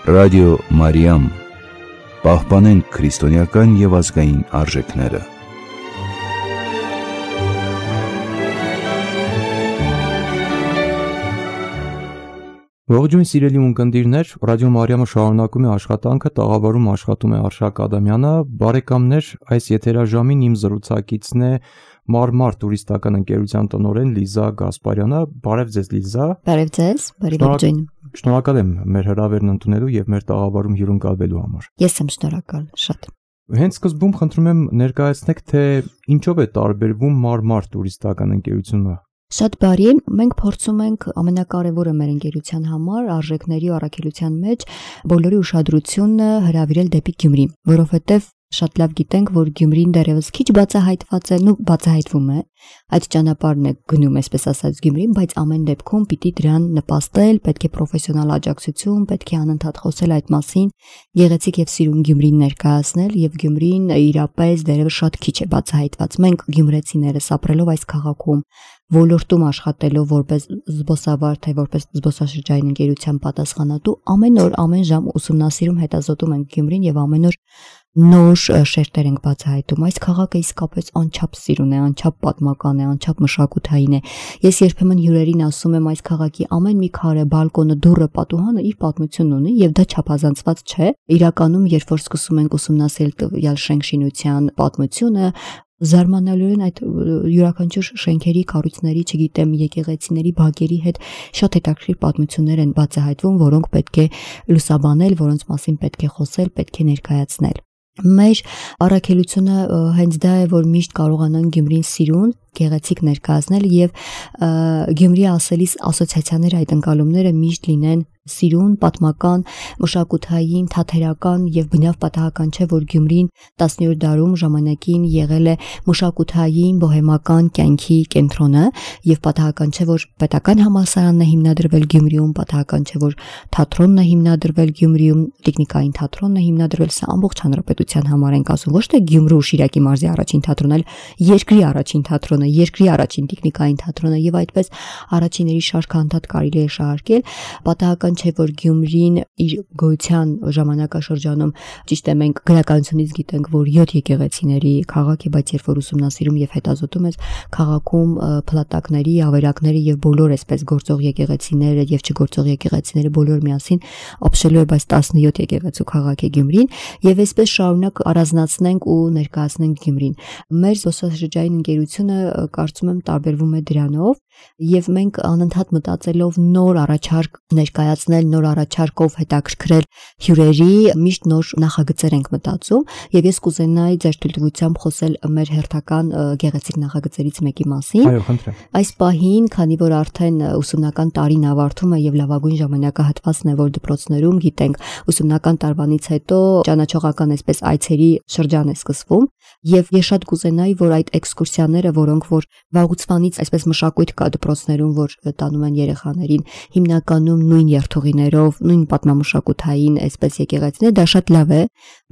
Ռադիո Մարիամ, պահպանենք քրիստոնեական և ազգային արժեքները։ Ողջույն սիրելի ունկնդիրներ, Ռադիո Մարիամը շարունակում է աշխատանքը, տաղավարում աշխատում է Արշակ Ադամյանը։ Բարեկամներ, այս եթերաժամին իմ զրուցակիցն է Մարմար տուրիստական ընկերության տնօրեն Լիզա Գասպարյանը։ Բարև ձեզ, Լիզա։ Բարև ձեզ, բարի ողջույն։ Շնորհակալ եմ մեր հրավերն ընդունելու եւ մեր տաղավարում հյուրընկալվելու համար։ Ես եմ շնորհակալ, շատ։ Հենց սկզբում խնդրում եմ ներկայացնեք, թե ինչով է տարբերվում Մարմար տուրիստական ընկերությունը։ Շատ բարի, մենք փորձում ենք ամենակարևորը մեր ընկերության համար արժեքների ու առաքելության մեջ բոլորի ուշադրությունը հրավիրել դեպի Գյումրի, որովհետև շատ լավ գիտենք, որ Գյումրին դեռևս քիչ բացահայտված է, բացահայտվում է, այդ ճանապարհն է գնում, այսպես ասած, Գյումրին, բայց ամեն դեպքում պիտի դրան նպաստել, պետք է պրոֆեսիոնալ աջակցություն, պետք է անընդհատ խոսել այդ մասին, գեղեցիկ եւ սիրուն Գյումրին ներկայացնել, եւ Գյումրին իրապես դեռևս շատ քիչ է բացահայտված։ Մենք գյումրեցիներս ապրելով այս քաղաքում, ոլորտում աշխատելով որպես զբոսավար, թե որպես զբոսաշրջային ընկերության պատասխանատու, ամեն օր, ամեն ժամ ուսումնասիրում, հետազոտում ենք Գյումրին եւ ամեն օր նոր շերտեր ենք բացահայտում։ Այս քաղաքը իսկապես անչափ սիրուն է, անչափ պատմական է, անչափ մշակութային է։ Ես երբեմն հյուրերին ասում եմ, այս քաղաքի ամեն մի քարե, բալկոնը, դուռը, պատուհանը իր պատմություն ունի եւ դա չափազանցված չէ։ Իրականում, երբ որ սկսում ենք ուսումնասիրել տվյալ շենքշինության պատմությունը, զարմանալիորեն այդ յուրաքանչյուր շենքերի, կառույցների, չգիտեմ, եկեղեցիների, բակերի հետ շատ հետաքրքիր պատմություններ են բացահայտվում, որոնք պետք է լուսաբանել, որոնց մասին պետք է խոսել, պետք է ներկայացնել։ Մեր առաքելությունը հենց դա է, որ միշտ կարողանանք Գյումրին սիրուն, գեղեցիկ ներկայացնել եւ Գյումրի ասելիս ասոցիացիաները, այդ ընկալումները միշտ լինեն սիրուն, պատմական, մշակութային, թատերական եւ բնավ պատահական չէ, որ Գյումրին 17-րդ դարում ժամանակին եղել է մշակութային, բոհեմական կյանքի կենտրոնը եւ պատահական չէ, որ պետական համալսարանն է հիմնադրվել Գյումրիում, պատահական չէ, որ թատրոնն է հիմնադրվել Գյումրիում, տեխնիկային թատրոնն է հիմնադրվել, սա ամբողջ հանրապետության համար ենք ասում, ոչ թե Գյումրու Շիրակի մարզի առաջին թատրոնն, այլ երկրի առաջին թատրոնը, երկրի առաջին տեխնիկային թատրոնը եւ այդպես առաջիների շարքը անդադ կարելի է շարքել, պատահական չէ, որ Գյումրին իր գոյության ժամանակաշրջանում, ճիշտ է, մենք գրականությունից գիտենք, որ 7 եկեղեցիների քաղաք է, բայց երբ որ ուսումնասիրում եւ հետազոտում ես, քաղաքում փլատակների, ավերակների եւ բոլոր այսպես գործող եկեղեցիները եւ չգործող եկեղեցիները բոլոր միասին ապշելու է, բայց 17 եկեղեցու քաղաք է Գյումրին եւ այսպես շարունակ առանձնացնենք ու ներկայացնենք Գյումրին։ Մեր զբոսաշրջային ընկերությունը կարծում եմ տարբերվում է դրանով եւ մենք անընդհատ մտածելով նոր առաջարկ ներկայացնել, նոր առաջարկով հետաքրքրել հյուրերի, միշտ նոր նախագծեր ենք մտածում եւ ես կուզենայի ձեր թույլտվությամբ խոսել մեր հերթական գեղեցիկ նախագծերից մեկի մասին։ Այո, խնդրեմ։ Այս պահին, քանի որ արդեն ուսումնական տարին ավարտվում է եւ լավագույն ժամանակահատվածն է, որ դպրոցներում գիտենք, ուսումնական տարվանից հետո ճանաչողական այսպես այցերի շրջան է սկսվում եւ ես շատ կուզենայի, որ այդ էքսկուրսիաները, որոնք որ վաղուց այսպես մշակույթ կա դպրոցներում, որ տանում են երեխաներին, հիմնականում նույն երթուղիներով, նույն պատմամշակութային այսպես եկեղեցիներ, դա շատ լավ է,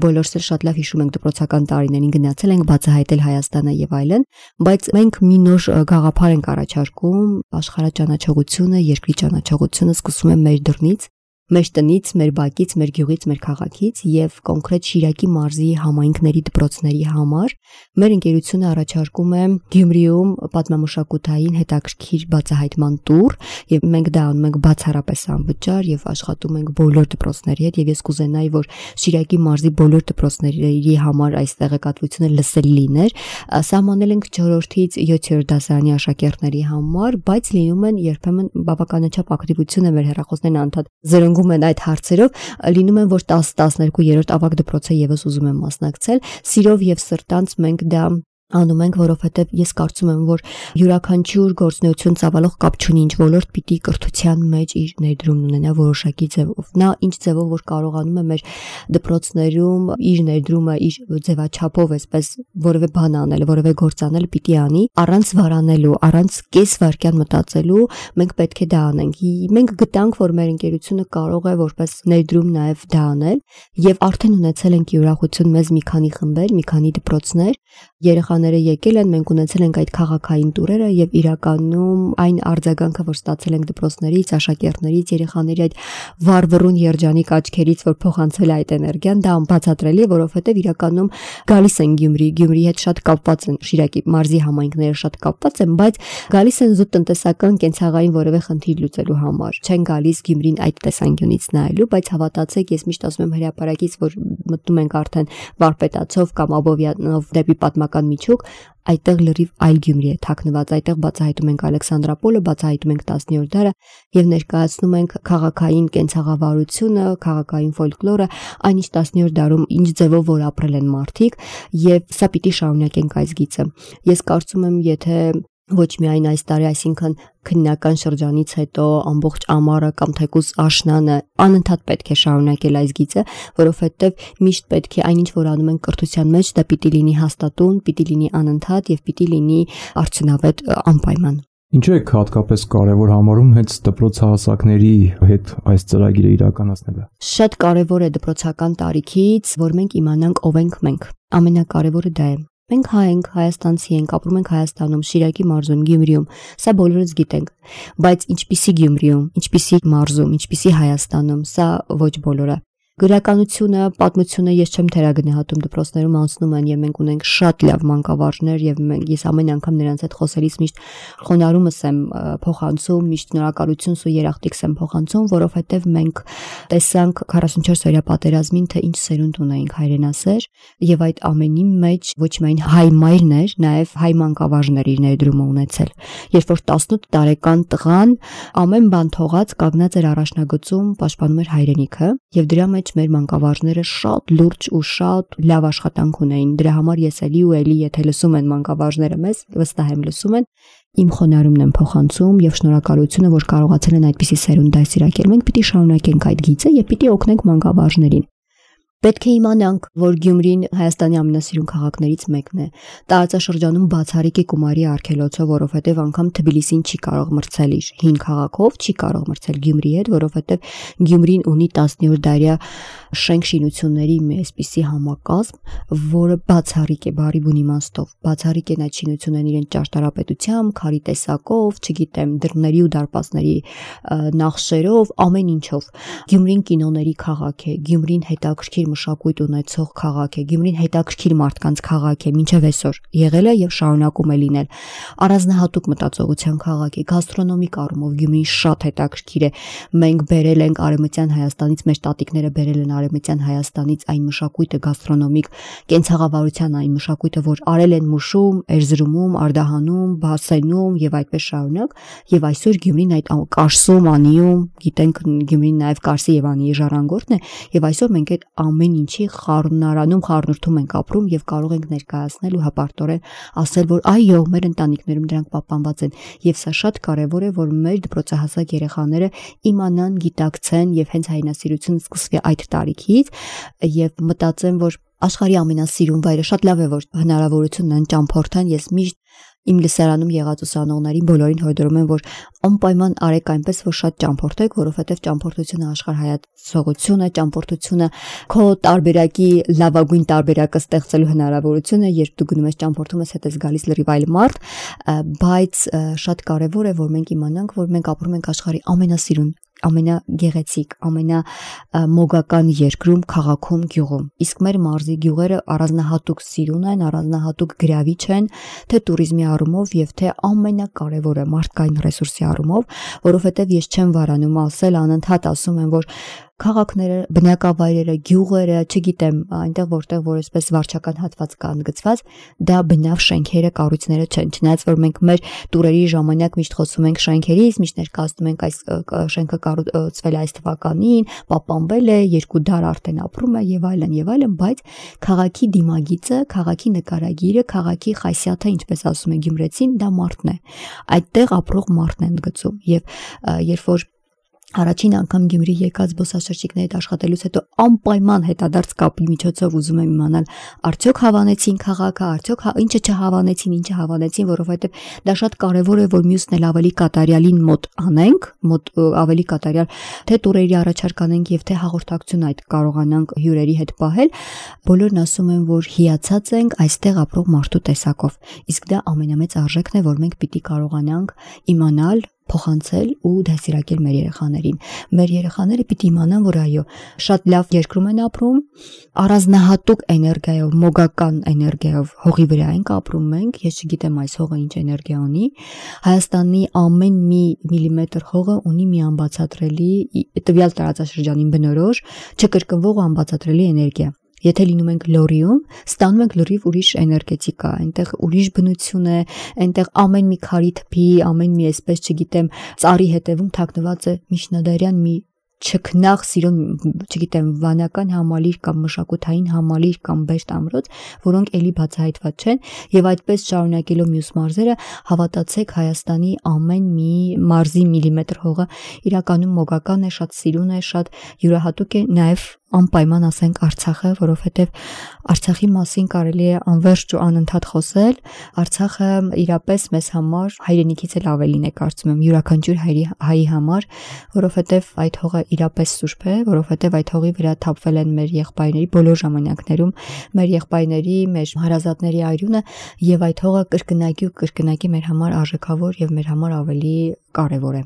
բոլորս էլ շատ լավ հիշում ենք դպրոցական տարիներին գնացել ենք բացահայտել Հայաստանը եւ այլն, բայց մենք մի նոր գաղափար ենք առաջարկում, աշխարհաճանաչողությունը, երկրի ճանաչողությունը սկսում է մեր դռնից, մեր տնից, մեր բակից, մեր գյուղից, մեր քաղաքից եւ կոնկրետ Շիրակի մարզի համայնքների դպրոցների համար մեր ընկերությունը առաջարկում է Գյումրիում պատմամշակութային հետաքրքիր բացահայտման տուր եւ մենք դա անում ենք բացառապես անվճար եւ աշխատում ենք բոլոր դպրոցների հետ եւ ես կուզենայի, որ Շիրակի մարզի բոլոր դպրոցների համար այս տեղեկատվությունը լսելի լիներ։ Սահմանել ենք 4-ից 7-րդ դասարանի աշակերտների համար, բայց լինում են երբեմն բավականաչափ ակտիվություն է մեր հեռախոսներն անդադ զրնգում են այդ հարցերով, լինում են, որ 10-12-րդ ավագ դպրոցը եւս ուզում են մասնակցել, սիրով եւ սրտանց մենք դա անում ենք, որովհետև ես կարծում եմ, որ յուրաքանչյուր գործունեություն ծավալող կապ չունի, ինչ ոլորտ պիտի կրթության մեջ իր ներդրումն ունենա որոշակի ձևով։ Նա ինչ ձևով որ կարողանում է մեր դպրոցներում իր ներդրումը, իր ձևաչափով այսպես որևէ բան անել, որևէ գործ անել պիտի անի, առանց վարանելու, առանց կես վայրկյան մտածելու, մենք պետք է դա անենք։ Մենք գտանք, որ մեր ընկերությունը կարող է որպես ներդրում նաև դա անել, եւ արդեն ունեցել ենք ուրախություն մեզ մի քանի խմբեր, մի քանի դպրոցներ, երեխա երեխաները եկել են, մենք ունեցել ենք այդ քաղաքային տուրերը եւ իրականում այն արձագանքը, որ ստացել ենք դպրոցներից, աշակերտներից, երեխաների այդ վառվռուն երջանիկ աչքերից, որ փոխանցվել է այդ էներգիան, դա անբացատրելի է, որովհետեւ իրականում գալիս են Գյումրիի հետ շատ կապված են, Շիրակի մարզի համայնքները շատ կապված են, բայց գալիս են զուտ տնտեսական կենցաղային որևէ խնդիր լուծելու համար։ Չեն գալիս Գյումրին այդ տեսանկյունից նայելու, բայց հավատացեք, ես միշտ ասում եմ հրապարակից, որ մտնում ենք արդեն Վարպետացով կամ Աբովյանով դեպի պատմական միջուկ, այդտեղ լրիվ այլ Գյումրի է թաքնված, այդտեղ բացահայտում ենք Ալեքսանդրապոլը, բացահայտում ենք 10-րդ դարը եւ ներկայացնում ենք քաղաքային կենցաղավարությունը, քաղաքային ֆոլկլորը, այնինչ 10-րդ դարում ինչ ձևով որ ապրել են մարդիկ եւ սա պիտի շարունակենք այս գիծը։ Ես կարծում եմ, եթե ոչ միայն այս տարի, այսինքն քննական շրջանից հետո ամբողջ ամառը կամ թեկուզ աշնանը անընդհատ պետք է շարունակել այս գիծը, որովհետև միշտ պետք է այնինչ որ անում են կրթության մեջ, դա պիտի լինի հաստատուն, պիտի լինի անընդհատ եւ պիտի լինի արդյունավետ անպայման։ Ինչու է հատկապես կարևոր համարում հենց դպրոցահասակների հետ այս ծրագիրը իրականացնելը։ Շատ կարևոր է դպրոցական տարիքից, որ մենք իմանանք ով ենք մենք։ Ամենակարևորը դա է։ Մենք հայ ենք, հայաստանցի ենք, ապրում ենք Հայաստանում, Շիրակի մարզում, Գյումրիում, սա բոլորս գիտենք, բայց ինչպիսի Գյումրիում, ինչպիսի մարզում, ինչպիսի Հայաստանում, սա ոչ բոլորը։ Գրականությունը, պատմությունը ես չեմ թերագնահատում, դպրոցներում անցնում են եւ մենք ունենք շատ լավ մանկավարժներ եւ ես ամեն անգամ նրանց հետ խոսելիս միշտ խոնարհումս եմ փոխանցում, միշտ շնորհակալություն ու երախտիկս եմ փոխանցում, որովհետեւ մենք տեսանք 44-օրյա պատերազմին, թե ինչ սերունդ ունեինք հայրենասեր եւ այդ ամենի մեջ ոչ միայն հայ մայրներ, նաեւ հայ մանկավարժներ իր ներդրումը ունեցել։ Երբ որ 18 տարեկան տղան ամեն բան թողած կանգնած էր առաջնագծում, պաշտպանում էր հայրենիքը եւ դրա մեջ մեր մանկավարժները շատ լուրջ ու շատ լավ աշխատանք ունեին։ Դրա համար ես էլի ու էլի, եթե լսում են մանկավարժները մեզ, վստահ եմ լսում են, իմ խոնարհումն եմ փոխանցում եւ շնորհակալությունը, որ կարողացել են այդպիսի սերունդ դասիրակել։ Մենք պիտի շարունակենք այդ գիծը եւ պիտի օգնենք մանկավարժներին։ Պետք է իմանանք, որ Գյումրին Հայաստանի ամենասիրուն քաղաքներից մեկն է։ Տարածաշրջանում բացառիկ է Կումարի արգելոցով, որովհետև անգամ Թբիլիսին չի կարող մրցել իր հին քաղաքով, չի կարող մրցել Գյումրիի հետ, որովհետև Գյումրին ունի 10-րդ դարյա շենք-շինությունների մի այսպիսի համակազմ, որը բացառիկ է բարի բուն իմաստով։ Բացառիկ են այդ շինություններն իրենց ճարտարապետությամբ, քարի տեսակով, չգիտեմ, դռների ու դարպասների նախշերով, ամեն ինչով։ Գյումրին կինոների քաղաք է, Գյումրին հետաքրքիր մշակույթ ունեցող քաղաք է, Գյումրին հետաքրքիր մարդկանց քաղաք է, մինչև այսօր եղել է եւ շարունակում է լինել։ Առանձնահատուկ մտածողության քաղաք է, գաստրոնոմիկ առումով Գյումրին շատ հետաքրքիր է։ Մենք բերել ենք Արևմտյան Հայաստանից, մեր տատիկները բերել են Արևմտյան Հայաստանից այն մշակույթը գաստրոնոմիկ, կենցաղավարության այն մշակույթը, որ արել են Մուշում, Էրզրումում, Արդահանում, Բասենում եւ այդպես շարունակ, եւ այսօր Գյումրին այդ Կարսում, Անիում, գիտենք Գյումրին նաեւ Կարսի եւ Անիի ժառանգորդն է, եւ այսօր մենք այդ ամեն ինչի խառնարանում, խառնուրդում ենք ապրում եւ կարող ենք ներկայացնել ու հպարտորեն ասել, որ այո, մեր ընտանիքներում դրանք պահպանված են եւ սա շատ կարեւոր է, որ մեր դպրոցահասակ երեխաները իմանան, գիտակցեն եւ հենց հայրենասիրությունը սկսվի այդ տարիքից եւ մտածեն, որ աշխարհի ամենասիրուն վայրը շատ լավ է, որ հնարավորությունն են ճամփորդան։ Ես միշտ իմ լսարանում եղած ուսանողներին բոլորին հորդորում եմ, որ անպայման արեք այնպես, որ շատ ճամփորդեք, որովհետև ճամփորդությունը աշխարհայացողություն է, ճամփորդությունը քո տարբերակի լավագույն տարբերակը ստեղծելու հնարավորություն է, երբ դու գնում ես ճամփորդում ես, հետ ես գալիս լրիվ այլ մարդ, բայց շատ կարևոր է, որ մենք իմանանք, որ մենք ապրում ենք աշխարհի ամենասիրուն, ամենագեղեցիկ, ամենամոգական երկրում, քաղաքում, գյուղում։ Իսկ մեր մարզի գյուղերը առանձնահատուկ սիրուն են, առանձնահատուկ գրավիչ են, թե туриզմի առումով եւ թե ամենակարևորը մարդկային ռեսուրսի առումով, որովհետեւ ես չեմ վարանում ասել, անընդհատ ասում եմ, որ քաղաքները, բնակավայրերը, գյուղերը, չգիտեմ, այնտեղ որտեղ որ այսպես վարչական հատված կա ընդգծված, դա բնավ շենքերը, կառույցները չեն, չնայած որ մենք մեր տուրերի ժամանակ միշտ խոսում ենք շենքերից, միշտ ներկայացնում ենք այս շենքը կառուցվել այս թվականին, պահպանվել է, 2 դար արդեն ապրում է եւ այլն, բայց քաղաքի դիմագիծը, քաղաքի նկարագիրը, քաղաքի խասյաթը, ինչպես ասում է գյումրեցին, դա մարդն է։ Այդտեղ ապրող մարդն է ընդգծում եւ երբ որ Առաջին անգամ Գյումրի եկած զբոսաշրջիկների հետ աշխատելուց հետո անպայման հետադարձ կապի միջոցով ուզում եմ իմանալ արդյոք հավանեցին քաղաքը, արդյոք ինչը չհավանեցին, ինչը հավանեցին, որովհետև դա շատ կարևոր է, որ մյուսն էլ ավելի կատարյալին մոտ անենք, ավելի կատարյալ թե տուրերի առաջարկ անենք եւ թե հաղորդակցություն այդ կարողանանք հյուրերի հետ պահել։ Բոլորն ասում են, որ հիացած ենք այստեղ ապրող մարդու տեսակով։ Իսկ դա ամենամեծ արժեքն է, որ մենք պիտի կարողանանք իմանալ, փոխանցել ու դասիրակել մեր երեխաներին։ Մեր երեխաները պիտի իմանան, որ այո, շատ լավ երկրում են ապրում, առանձնահատուկ էներգիայով, մոգական էներգիայով հողի վրա ենք ապրում մենք, ես չգիտեմ այս հողը ինչ էներգիա ունի։ Հայաստանի ամեն մի միլիմետր հողը ունի մի անբացատրելի տվյալ տարածաշրջանին բնորոշ, չկրկնվող ու անբացատրելի էներգիա։ Եթե լինում ենք Լորիում, ստանում ենք լրիվ ուրիշ էներգետիկա, այնտեղ ուրիշ բնություն է, այնտեղ ամեն մի քարի թփի, ամեն մի այսպես չգիտեմ, ծառի հետևում թաքնված է միջնադարյան մի չքնաղ սիրուն, չգիտեմ, վանական համալիր կամ մշակութային համալիր կամ բերտ ամրոց, որոնք էլի բացահայտված չեն, եւ այդպես շարունակելով մյուս մարզերը, հավատացեք, Հայաստանի ամեն մի մարզի միլիմետր հողը իրականում մոգական է, շատ սիրուն է, շատ յուրահատուկ է, նաեւ անպայման ասենք Արցախը, որովհետև Արցախի մասին կարելի է անվերջ ու անընդհատ խոսել։ Արցախը իրապես մեզ համար հայրենիքից էլ ավելին է, կարծում եմ, յուրաքանչյուր հայի համար, որովհետև այդ հողը իրապես սուրբ է, որովհետև այդ հողի վրա թափվել են մեր եղբայրների բոլոր ժամանակներում, մեր եղբայրների, մեր հարազատների արյունը, եւ այդ հողը կրկնակի մեր համար արժեքավոր եւ մեր համար ավելի կարեւոր է։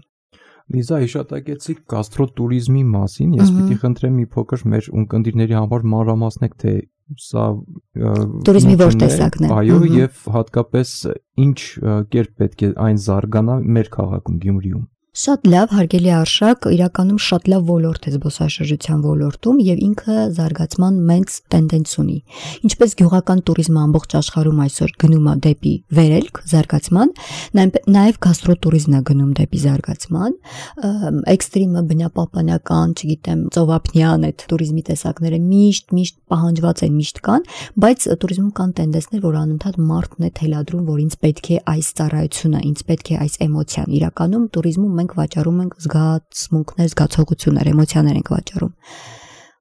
Լիզա, հիշատակեցիք գաստրոտուրիզմի մասին, ես պիտի խնդրեմ մի փոքր մեր ունկնդիրների համար մանրամասնեք, թե սա տուրիզմի որ տեսակն է։ Այո, եւ հատկապես ինչ կերպ պետք է այն զարգանա մեր քաղաքում Գյումրիում։ Շատ լավ, հարգելի արշակ, իրականում շատ լավ ոլորտ է զբոսաշրջության ոլորտում եւ ինքը զարգացման մեծ տենդենց ունի։ Ինչպես գյուղական տուրիզմը ամբողջ աշխարհում այսօր գնում է դեպի վերելք, զարգացման, նաեւ գաստրոտուրիզմն է գնում դեպի զարգացման, էքստրիմը, բնապահպանական, չգիտեմ, ծովափնյան այդ տուրիզմի տեսակները միշտ պահանջված են, միշտ կան, բայց տուրիզմում կան տենդենսներ, որ անընդհատ մարդն է թելադրում, որ ինձ պետք է այս ծառայությունը, ինձ պետք է այս էմոցիան։ Իրականում տուրիզմում մենք վաճառում ենք զգացմունքներ, զգացողություններ, էմոցիաներ ենք վաճառում։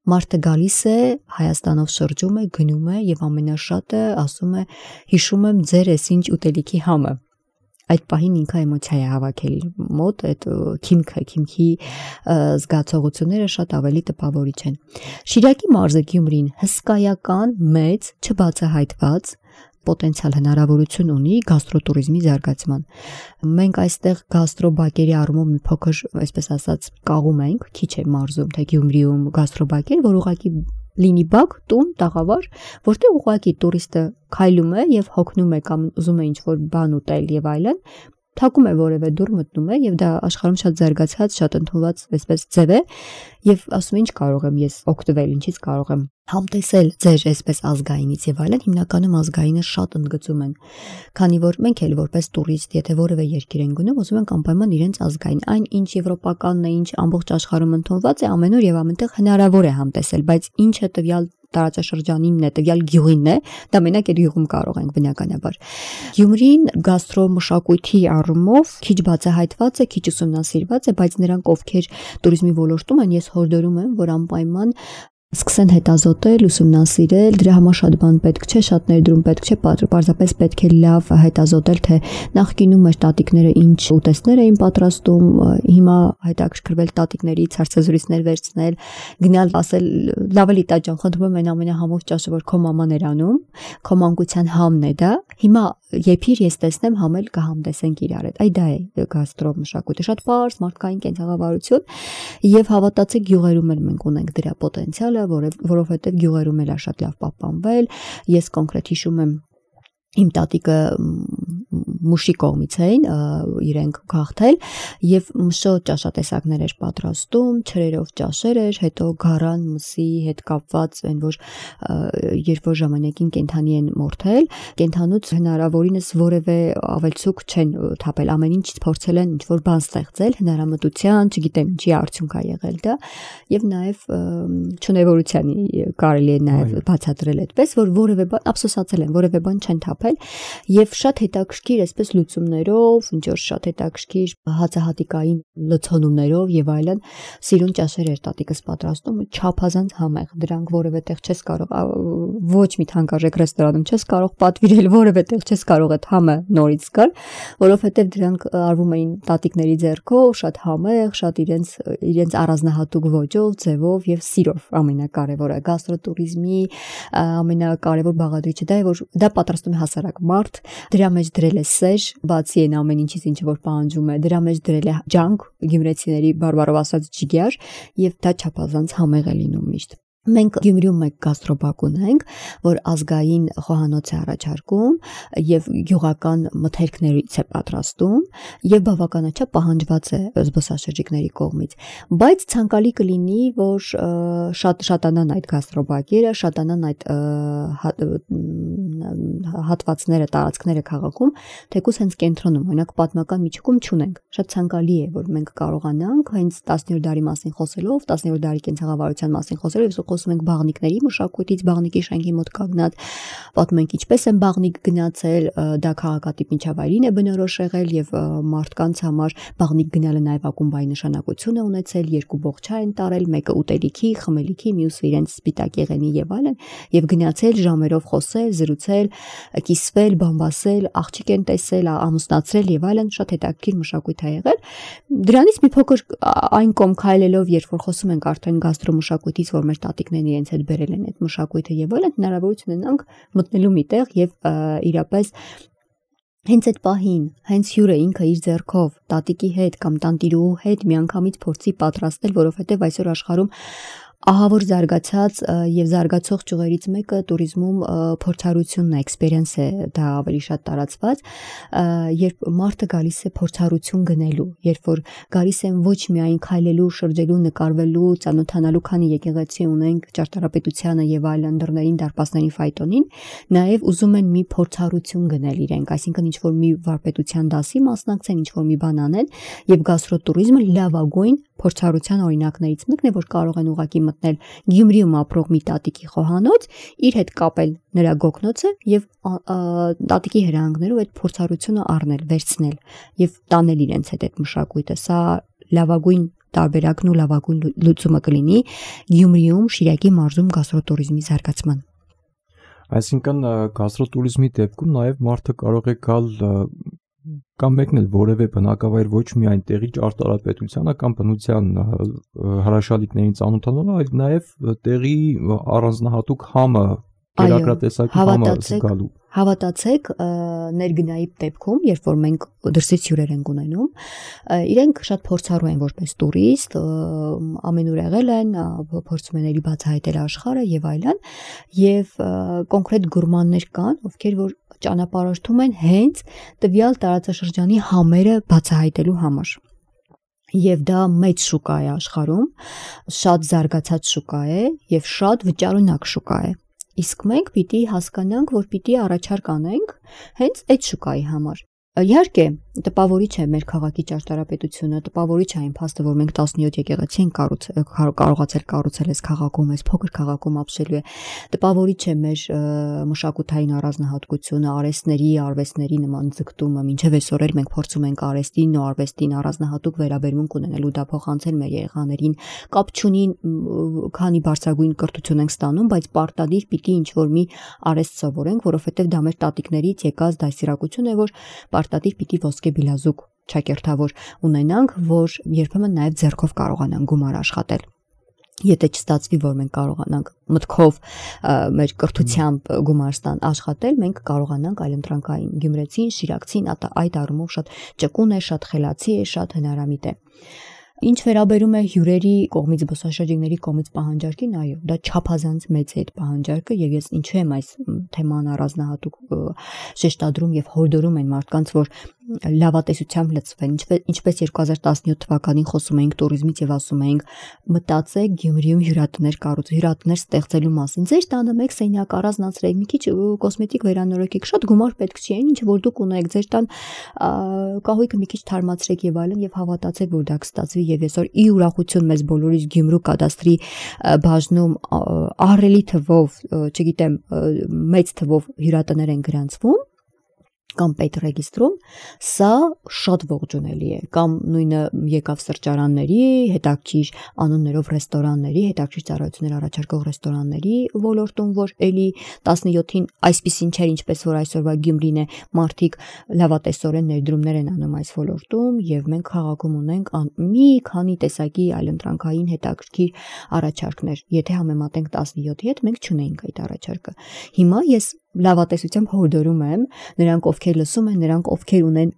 Մարդը գալիս է, Հայաստանով շրջում է, գնում է եւ ամենաշատը ասում է, հիշում եմ ձեր էսինչ ուտելիքի համը։ Այդ պահին ինքը էմոցիա է հավաքել իր մոտ, այդ քիմքի զգացողությունները շատ ավելի տպավորիչ են։ Շիրակի մարզը Գյումրին հսկայական, մեծ, չբացահայտված պոտենցիալ հնարավորություն ունի գաստրոտուրիզմի զարգացման։ Մենք այստեղ գաստրոբակերի առումով մի փոքր, այսպես ասած, կաղում ենք, քիչ է մարզում, թե Գյումրիում գաստրոբակեր, որ ուղղակի լինի բակ, տուն, տաղավար, որտեղ ուղղակի տուրիստը քայլում է եւ հոգնում է կամ ուզում է ինչ-որ բան ուտել եւ այլն, թակում է որևէ դուռ, մտնում է եւ դա աշխարհում շատ զարգացած, շատ ընդունված այսպես ձև է եւ ասում է ինչ կարող եմ ես օգտվել, ինչից կարող եմ համտեսել ձեր այսպես ազգայինից եւ այլն, հիմնականում ազգայինը շատ ընդգծում են, քանի որ մենք էլ որպես տուրիստ, եթե որևէ երկիր են գնում, ուզում ենք անպայման իրենց ազգային, այն ինչ եվրոպականն է, ինչ ամբողջ աշխարհում ընդունված է, ամենուր եւ ամենտեղ հնարավոր է համտեսել, բայց ինչը տվյալ տարածաշրջանինն է, տվյալ գյուղինն է, դա մենակ այդ գյուղում կարող ենք բնականաբար։ Գյումրին գաստրոմշակույթի առումով քիչ բացահայտված է, քիչ ուսումնասիրված է, բայց նրանք ովքեր տուրիզմի ոլորտում են, ես հորդորում եմ, որ անպայման սկսեն հետազոտել, ուսումնասիրել, դրա համար շատ բան պետք չէ, շատ ներդրում պետք չէ, պարզապես պետք է լավ հետազոտել, թե նախկինում մեր տատիկները ինչ ուտեստներ էին պատրաստում, հիմա հետաքրքրվել տատիկներից հարցազրույցներ վերցնել, գնալ ասել, լավ էլի տա ջան, խնդրում եմ այն ամենահամով ճաշը, որ քո մաման էր անում, քո մանկության համն է դա, հիմա եփիր ես տեսնեմ համել կհամտեսենք իրար հետ։ Այ դա է գաստրոմշակույթը, շատ պարզ մարդկային կենցաղավարություն եւ հավատացեք գյուղերում էլ մենք ունենք դրա պոտենցիալը, որովհետև գյուղերում էլ է շատ լավ պահպանվել։ Ես կոնկրետ հիշում եմ իմ տատիկը մուշի կողմից էին իրենք գաղթել եւ մշո ճաշատեսակներ էր պատրաստում, չրերով ճաշեր էր, հետո գարան մսի հետ կապված այն որ երբ որ ժամանակին կենթանի են մորթել, կենթանուց հնարավորինս որևէ ավելցուկ չեն թափել, ամեն ինչ փորձել են ինչ որ բան ստեղծել, հնարամտության, չգիտեմ ինչի արդյունք ա եղել դա եւ նաեւ չունևորության կարելի է նաեւ բացատրել այդպես որ որևէ բան ափսոսացել են, որևէ բան չեն թափել եւ շատ հետաքրքիր է այսպես լուծումներով, ինչ որ շատ հետաքրքիր հացահատիկային լցոնումներով եւ այլն սիրուն ճաշեր էր տատիկս պատրաստում, չափազանց համեղ, դրանք որևէ տեղ չես կարող, ոչ մի թանկարժեք ռեստորանում չես կարող պատվիրել, որևէ տեղ չես կարող այդ համը նորից զգալ, որովհետեւ դրանք արվում էին տատիկների ձեռքով, շատ համեղ, շատ իրենց առանձնահատուկ ոճով, ձևով եւ սիրով, ամենակարևորը գաստրոտուրիզմի ամենակարևոր բաղադրիչը դա է, որ դա պատրաստում է հասարակ մարդ, դրա մեջ դրել է սեր, բացի այն ամեն ինչից ինչ որ պահանջում է, դրա մեջ դրել է ջանք, գյումրեցիների բարբառով ասած ջիգար, եւ դա չափազանց համեղ է լինում միշտ։ Մենք Գյումրիում մեկ գաստրոբակ ունենք, որ ազգային խոհանոց է առաջարկում եւ գյուղական մթերքներից է պատրաստում եւ բավականաչափ պահանջված է զբոսաշրջիկների կողմից, բայց ցանկալի կլինի, որ շատանան այդ գաստրոբակերը, շատանան այդ հատվածները, տարածքները քաղաքում, թեկուզ հենց կենտրոնում, օրինակ պատմական միջուկում չունենք։ Շատ ցանկալի է, որ մենք կարողանանք հենց 10-րդ դարի մասին խոսելով, 10-րդ դարի կենցաղավարության մասին խոսելով, խոսում ենք բաղնիկների մշակույթից, բաղնիկի շենքի մոտ կանգնած, պատմում ենք ինչպես են բաղնիկ գնացել, դա քաղաքատիպ միջավայրին է բնորոշ եղել եւ մարդկանց համար բաղնիկ գնալը նաեւ ակումբային նշանակություն է ունեցել, երկու բողջա են տարել, մեկը ուտելիքի, խմելիքի, մյուսը իրենց սպիտակ եղենի եւ այլն, եւ գնացել ժամերով խոսել, զրուցել, կիսվել, բամբասել, աղջիկ են տեսել, ամուսնացրել եւ այլն, շատ հետաքրքիր մշակույթ է եղել։ Դրանից մի փոքր այն կողմ քայլելով, երբ որ խոսում ենք արդեն գաստրոմշակույթից, որ մեր տատիկներն իրենց հետ բերել են այդ մշակույթը եւ այլն, հնարավորություն ունենք մտնելու միտեղ եւ իրապես հենց այդ պահին, հենց հյուրը ինքը իր ձեռքով տատիկի հետ կամ տանտիրուհու հետ միանգամից փորձի պատրաստել, որովհետեւ այսօր աշխարհում ահավոր զարգացած եւ զարգացող ճյուղերից մեկը туриզմում փորձառությունն է, էքսպերիենս է, դա ավելի շատ տարածված, երբ մարդը գալիս է փորձառություն գնելու, երբ որ գալիս են ոչ միայն քայլելու, շրջելու, նկարվելու, ծանոթանալու, քանի եկեղեցի ունենք, ճարտարապետությանը եւ այլ անդրներին, դարպասներին, ֆայտոնին, նաեւ ուզում են մի փորձառություն գնել իրենք, այսինքն ինչ որ մի վարպետության դասի մասնակցեն, ինչ որ մի բան անեն եւ գաստրոտուրիզմը լավագույն փորձառության օրինակներից մեկն է, որ կարող են ուղղակի մտնել Գյումրիում ապրող մի տատիկի խոհանոց, իր հետ կապել նրա գոգնոցը եւ տատիկի հրահանգներով այդ փորձառությունը առնել, վերցնել եւ տանել իրենց հետ այդ մշակույթը։ Սա լավագույն տարբերակն ու լավագույն լուծումը կլինի Գյումրիում, Շիրակի մարզում գաստրոտուրիզմի զարգացման։ Այսինքն գաստրոտուրիզմի դեպքում նաեւ մարդը կարող է գալ կամ մեկնել որևէ բնակավայր ոչ միայն տեղի ճարտարապետությանը կամ բնության հրաշալիքներին ծանոթանալու, այլ նաև տեղի առանձնահատուկ համը, կերակրատեսակի համը զգալու։ Հավատացեք, ներգնայի դեպքում, երբ որ մենք դրսից հյուրեր ենք ունենում, իրենք շատ փորձառու են որպես տուրիստ, ամենուր եղել են, փորձում են էլի բացահայտել աշխարհը եւ այլն, եւ կոնկրետ գուրմաններ կան, ովքեր որ ճանապարհորդում են հենց տվյալ տարածաշրջանի համերը բացահայտելու համար։ Եվ դա մեծ շուկա է աշխարհում, շատ զարգացած շուկա է եւ շատ վճարունակ շուկա է։ Իսկ մենք պիտի հասկանանք, որ պիտի առաջարկ անենք հենց այդ շուկայի համար։ Իհարկե, տպավորիչ է մեր քաղաքի ճարտարապետությունը, տպավորիչ է այն փաստը, որ մենք 17 եկեղեցի ենք կարողացել կառուցել այս քաղաքում, այս փոքր քաղաքում ապրելու է։ Տպավորիչ է մեր մշակութային առանձնահատկությունը, արվեստների նման ձգտումը, մինչև այսօր էլ մենք փորձում ենք արվեստին ու արվեստին առանձնահատուկ վերաբերմունք ունենալ ու դա փոխանցել մեր երեխաներին։ Կապ չունի քանի բարձրագույն կրթություն ենք ստանում, բայց պարտադիր պիտի ինչ-որ մի արվեստ սովորենք, որովհետև դա մեր տատիկներից եկած դաստիարակություն է, որ պարտադիր պիտի ոսկե բիլազուկ ճակերտավոր ունենանք, որ երբեմն նաև ձեռքով կարողանանք գումար աշխատել։ Եթե չստացվի, որ մենք կարողանանք մտքով մեր կրթությամբ գումար աշխատել, մենք կարողանանք այլընտրանքային գյումրեցին, շիրակցին, այդ առումով շատ ճկուն է, շատ խելացի է, շատ հնարամիտ է։ Ինչ վերաբերում է հյուրերի կողմից, զբոսաշրջիկների կողմից պահանջարկին, այո, դա չափազանց մեծ է այդ պահանջարկը եւ ես ինչու եմ այս թեման առանձնահատուկ շեշտադրում եւ հորդորում են մարդկանց, որ լավատեսությամբ լծվեն, ինչպես 2017 թվականին խոսում էինք туриզմից եւ ասում էինք մտածեք Գյումրիում հյուրատներ ստեղծելու մասին։ Ձեր տանը մեկ սենյակ առանձնացրեք, մի քիչ կոսմետիկ վերանորոգեք, շատ գումար պետք չի, ինչ որ դուք ունեք, ձեր տան կահույքը մի քիչ թարմացրեք եւ այլն եւ հավատացեք, որ դա կստացվի եւ այսօր ի ուրախություն մեզ բոլորիս Գյումրու կադաստրի բաժնում ահռելի թվով, չգիտեմ, մեծ թվով հյուրատներ են գրանցվում կամ պետռեգիստրում, սա շատ ողջունելի է, կամ նույնը եկավ սրճարանների, հետաքրքիր անուններով ռեստորանների, հետաքրքիր ծառայություններ առաջարկող ռեստորանների ոլորտում, որ էլի 17-ին այսպիսին չէր, ինչպես որ այսօրվա Գյումրին է, մարդիկ լավատեսորեն ներդրումներ են անում այս ոլորտում, եւ մենք քաղաքում ունենք մի քանի տեսակի այլընտրանքային հետաքրքիր առաջարկներ։ Եթե համեմատենք 17-ի հետ, մենք չունենք այդ առաջարկը։ Հիմա ես լավատեսությամբ հորդորում եմ նրանք, ովքեր լսում են, նրանք, ովքեր ունեն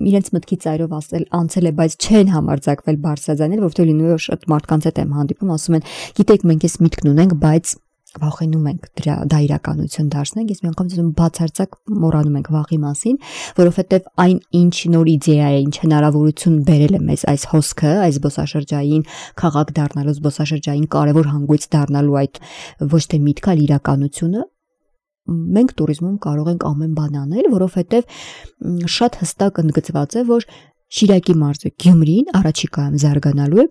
իրենց մտքի ծայրով անցել է, բայց չեն համարձակվել բարձրաձայնել, որովհետեւ լինում է շատ մարդկանց հետ եմ հանդիպում, ասում են, գիտեք, մենք էս միտքն ունենք, բայց վախենում ենք դա իրականություն դարձնենք, ես մի անգամ ասում բացարձակ մոռանում ենք վախի մասին, որովհետեւ այն ինչ նոր իդեա է, ինչ հնարավորություն բերել է մեզ այս հոսքը, այս զբոսաշրջային քաղաք դառնալու, զբոսաշրջային կարևոր հանգույց դառնալու այդ ոչ թե միտքը, այլ իրականությունը, մենք туриզմում կարող ենք ամեն բան անել, որովհետև շատ հստակ ընդգծված է, որ Շիրակի մարզը Գյումրին առաջիկայում զարգանալու է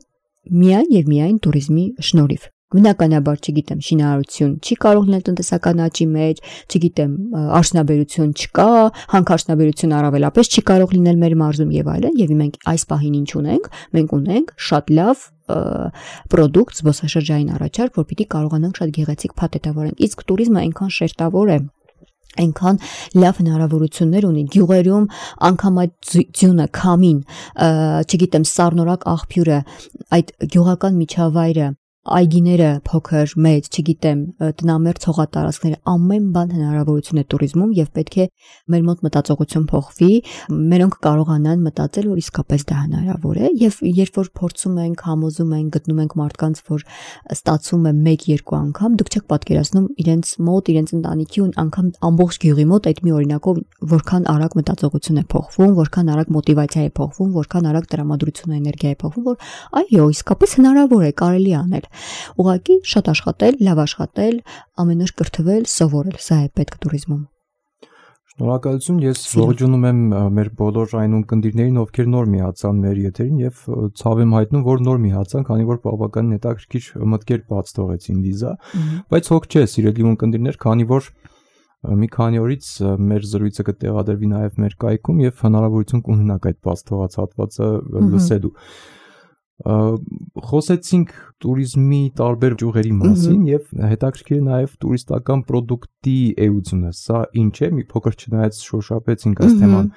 միայն եւ միայն туриզմի շնորհիվ։ Բնականաբար, չգիտեմ, շինարարություն չի կարող լինել տնտեսական աճի մեջ, չգիտեմ, արդյունաբերություն չկա, հանքարդյունաբերություն առավելապես չի կարող լինել մեր մարզում եւ այլն, եւ մենք այս պահին ինչ ունենք, մենք ունենք շատ լավ պրոդուկտ, զբոսաշրջային առաջարկ, որ պիտի կարողանանք շատ գեղեցիկ փաթեթավորենք։ Իսկ туриզմը այնքան շերտավոր է, այնքան լավ հնարավորություններ ունի գյուղերում, անգամ այդ ձյունը, քամին, չգիտեմ, սառնորակ աղբյուրը, այդ գյուղական միջավայրը, այգիները փոքր, մեծ, չգիտեմ, տնամերձ հողատարածքները, ամեն բան հնարավորություն է туриզմում եւ պետք է մեր մոտ մտածողություն փոխվի, մերոնք կարողանան մտածել, որ իսկապես դա հնարավոր է եւ երբ որ փորձում ենք, համոզում ենք, գտնում ենք մարդկանց, որ ստացվում է 1-2 անգամ, դուք չեք պատկերացնում իրենց մոտ, իրենց ընտանիքի ու անգամ ամբողջ գյուղի մոտ այդ մի օրինակով որքան արագ մտածողություն է փոխվում, որքան արագ մոտիվացիա է փոխվում, որքան արագ տրամադրություն ու էներգիա է փոխվում, որ այո, իսկապես հնարավոր է, կարելի է անել։ Ուղղակի շատ աշխատել, լավ աշխատել, ամեն օր կրթվել, սովորել, սա է պետք туриզմում։ Շնորհակալություն, ես ողջունում եմ մեր բոլոր այն ունկնդիրներին, ովքեր նոր միացան մեր եթերին եւ ցավ եմ հայտնում, որ նոր միացան, քանի որ բավականին հետաքրքիր մտքեր բաց թողեցին Լիզա, բայց հոգ չէ, սիրելի ունկնդիրներ, քանի որ մի քանի օրից մեր զրույցը կտեղադրվի նաեւ մեր կայքում եւ հնարավորություն կունենաք այդ բաց թողած հատվածը լսելու։ Խոսեցինք туриզմի տարբեր ճյուղերի մասին եւ հետաքրքիր է նաեւ տուրիստական պրոդուկտի էությունը, սա ինչ է, մի փոքր չնայած շոշափեցինք այս թեման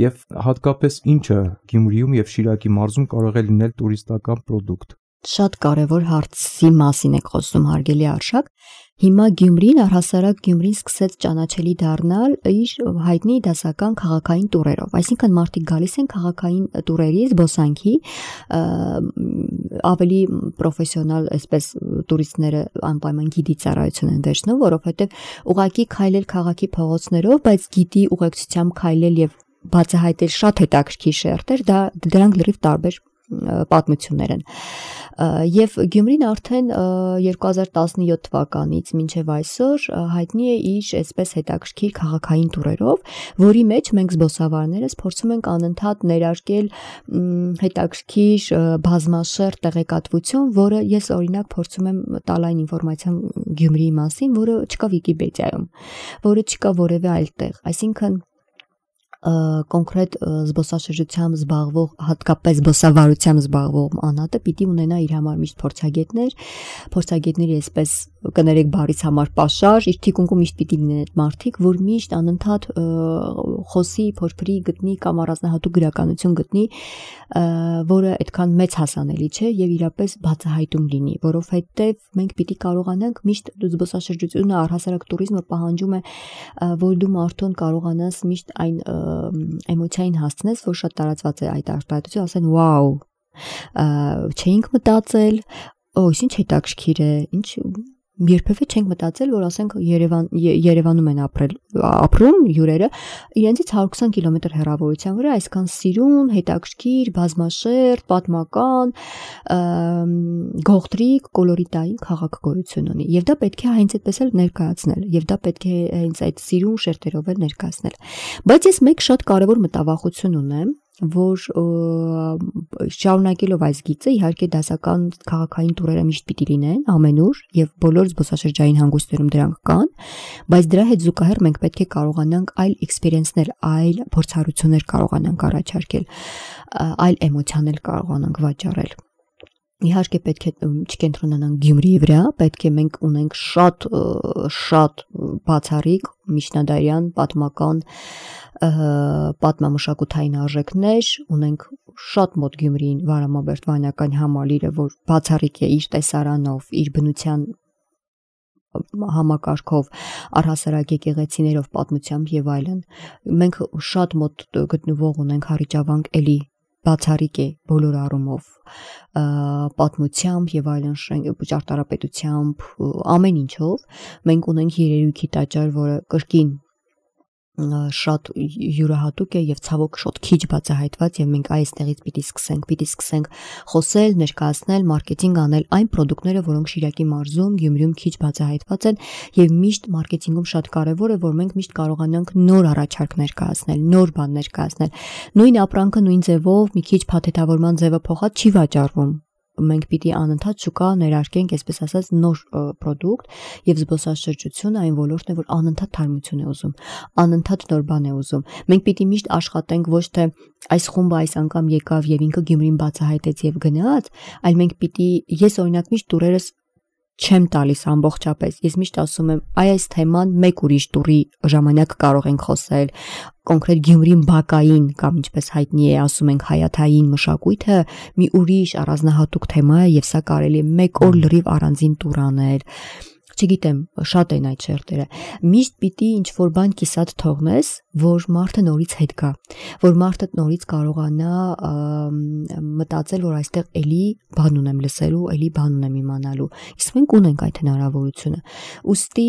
եւ հատկապես ինչը Գյումրիում եւ Շիրակի մարզում կարող է լինել տուրիստական պրոդուկտ։ Շատ կարևոր հարցի մասին եք խոսում, հարգելի Արշակ։ Հիմա Գյումրին, առհասարակ Գյումրին սկսեց ճանաչելի դառնալ իր հայտնի դասական քաղաքային տուրերով։ Այսինքն մարդիկ գալիս են քաղաքային տուրերի, զբոսանքի, ավելի պրոֆեսիոնալ, այսպես տուրիստները անպայման գիդի ծառայություն են վերցնում, որովհետև ուղղակի քայլել քաղաքի փողոցներով, բայց գիդի ուղեկցությամբ քայլել եւ բացահայտել շատ հետաքրքիր շերտեր, դրանք լրիվ տարբեր պատմություններ են։ Եվ Գյումրին արդեն 2017 թվականից մինչև այսօր հայտնի է իր այսպես հետաքրքիր քաղաքային տուրերով, որի մեջ մենք զբոսավարներս փորձում ենք անընդհատ ներարկել հետաքրքիր բազմաշերտ տեղեկատվություն, որը ես օրինակ փորձում եմ տալ այն ինֆորմացիան Գյումրիի մասին, որը չկա Վիկիպեդիայում, որը չկա որևէ այլտեղ, այսինքն կոնկրետ զբոսաշրջությամբ զբաղվող, հատկապես զբոսավարությամբ զբաղվող անհատը պիտի ունենա իր համար միշտ փորձագետների այսպես կներեք բառից համար պաշար, իր թիկունքում միշտ պիտի լինեն այդ մարդիկ, որ միշտ անընդհատ խոսի, փորփրի, գտնի կամ առանձնահատուկ գրականություն գտնի, որը այդքան մեծ հասանելի չէ եւ իրապես բացահայտում լինի, որովհետեւ մենք պիտի կարողանանք միշտ զբոսաշրջությունը, առհասարակ туриզմը պահանջում է, որ դու մարդուն կարողանաս միշտ այն էմոցիային հասցնես, որ շատ տարածված է այդ արտահայտությունը, ասեն վաու, չէինք մտածել, ինչ հետաքրքիր է, ինչ երբևէ չենք մտածել, որ ասենք Երևանում են ապրում հյուրերը, իրենցից 120 կիլոմետր հեռավորության վրա այսքան սիրուն, հետաքրքիր, բազմաշերտ, պատմական, գողտրիկ, կոլորիտային քաղաք գոյություն ունի։ Եվ դա պետք է հենց այդպես էլ ներկայացնել, եւ դա պետք է հենց այդ սիրուն շերտերով էլ ներկայացնել։ Բայց ես մեկ շատ կարևոր մտավախություն ունեմ, որ շարունակելով այս գիծը իհարկե դասական քաղաքային տուրերը միշտ պիտի լինեն ամենուր եւ բոլոր զբոսաշրջային հանգույցներում դրանք կան, բայց դրա հետ զուգահեռ մենք պետք է կարողանանք այլ էքսպերիենսներ, այլ փորձառություններ կարողանանք առաջարկել, այլ էմոցիաներ կարողանանք վաճառել։ Իհարկե պետք է չկենտրոնանանք Գյումրիի վրա, պետք է մենք ունենք շատ բացառիկ միջնադարյան պատմական պատմամշակութային արժեքներ, ունենք շատ մոտ Գյումրիին Վարամաբերդ վանական համալիրը, որ բացառիկ է իր տեսարանով, իր բնության համակարգով, առհասարակ եկեղեցիներով, պատմությամբ եւ այլն։ Մենք շատ մոտ գտնվող ունենք Հառիճավանք էլի բացառիկ է բոլոր առումով, պատմությամբ եւ այլն, ճարտարապետությամբ, ամեն ինչով։ Մենք ունենք երերույթի տաճար, որը կրկին շատ յուրահատուկ է եւ ցավոք շատ քիչ բացահայտված եւ մենք այստեղից պիտի սկսենք խոսել, ներկայացնել, մարքեթինգ անել այն պրոդուկտները, որոնք Շիրակի մարզում, Գյումրիում քիչ բացահայտված են եւ միշտ մարքեթինգում շատ կարեւոր է, որ մենք միշտ կարողանանք նոր առաջարկներ կայացնել, նոր բաներ կայացնել։ Նույն ապրանքը նույն ձևով մի քիչ փաթեթավորման ձևը փոխած չի վաճառվում։ Մենք պիտի անընդհատ շուկա ներարկենք, այսպես ասած, նոր պրոդուկտ եւ զբոսաշրջությունը այն ոլորտն է, որ անընդհատ թարմություն է ուզում, անընդհատ նոր բան է ուզում։ Մենք պիտի միշտ աշխատենք ոչ թե այս խումբը այս անգամ եկավ եւ ինքը Գյումրին բացահայտեց եւ գնաց, այլ մենք պիտի ես օրինակ միշտ տուրերս չեմ տալիս ամբողջապես։ Ես միշտ ասում եմ, այս թեման մեկ ուրիշ տուրի ժամանակ կարող ենք խոսել, կոնկրետ Գյումրին բակային կամ ինչպես հայտնի է ասում ենք հայաթային մշակույթը մի ուրիշ առանձնահատուկ թեմա է եւ սա կարելի է մեկ օր լրիվ առանձին տուր անել։ Չգիտեմ, շատ են այդ շերտերը։ Միշտ պիտի ինչ-որ բան կիսատ թողնես, որ մարդը նորից հետ գա, որ մարդը նորից կարողանա մտածել, որ այստեղ էլի բան ունեմ լսելու, էլի բան ունեմ իմանալու։ Իսկ մենք ունենք այդ հնարավորությունը։ Ուստի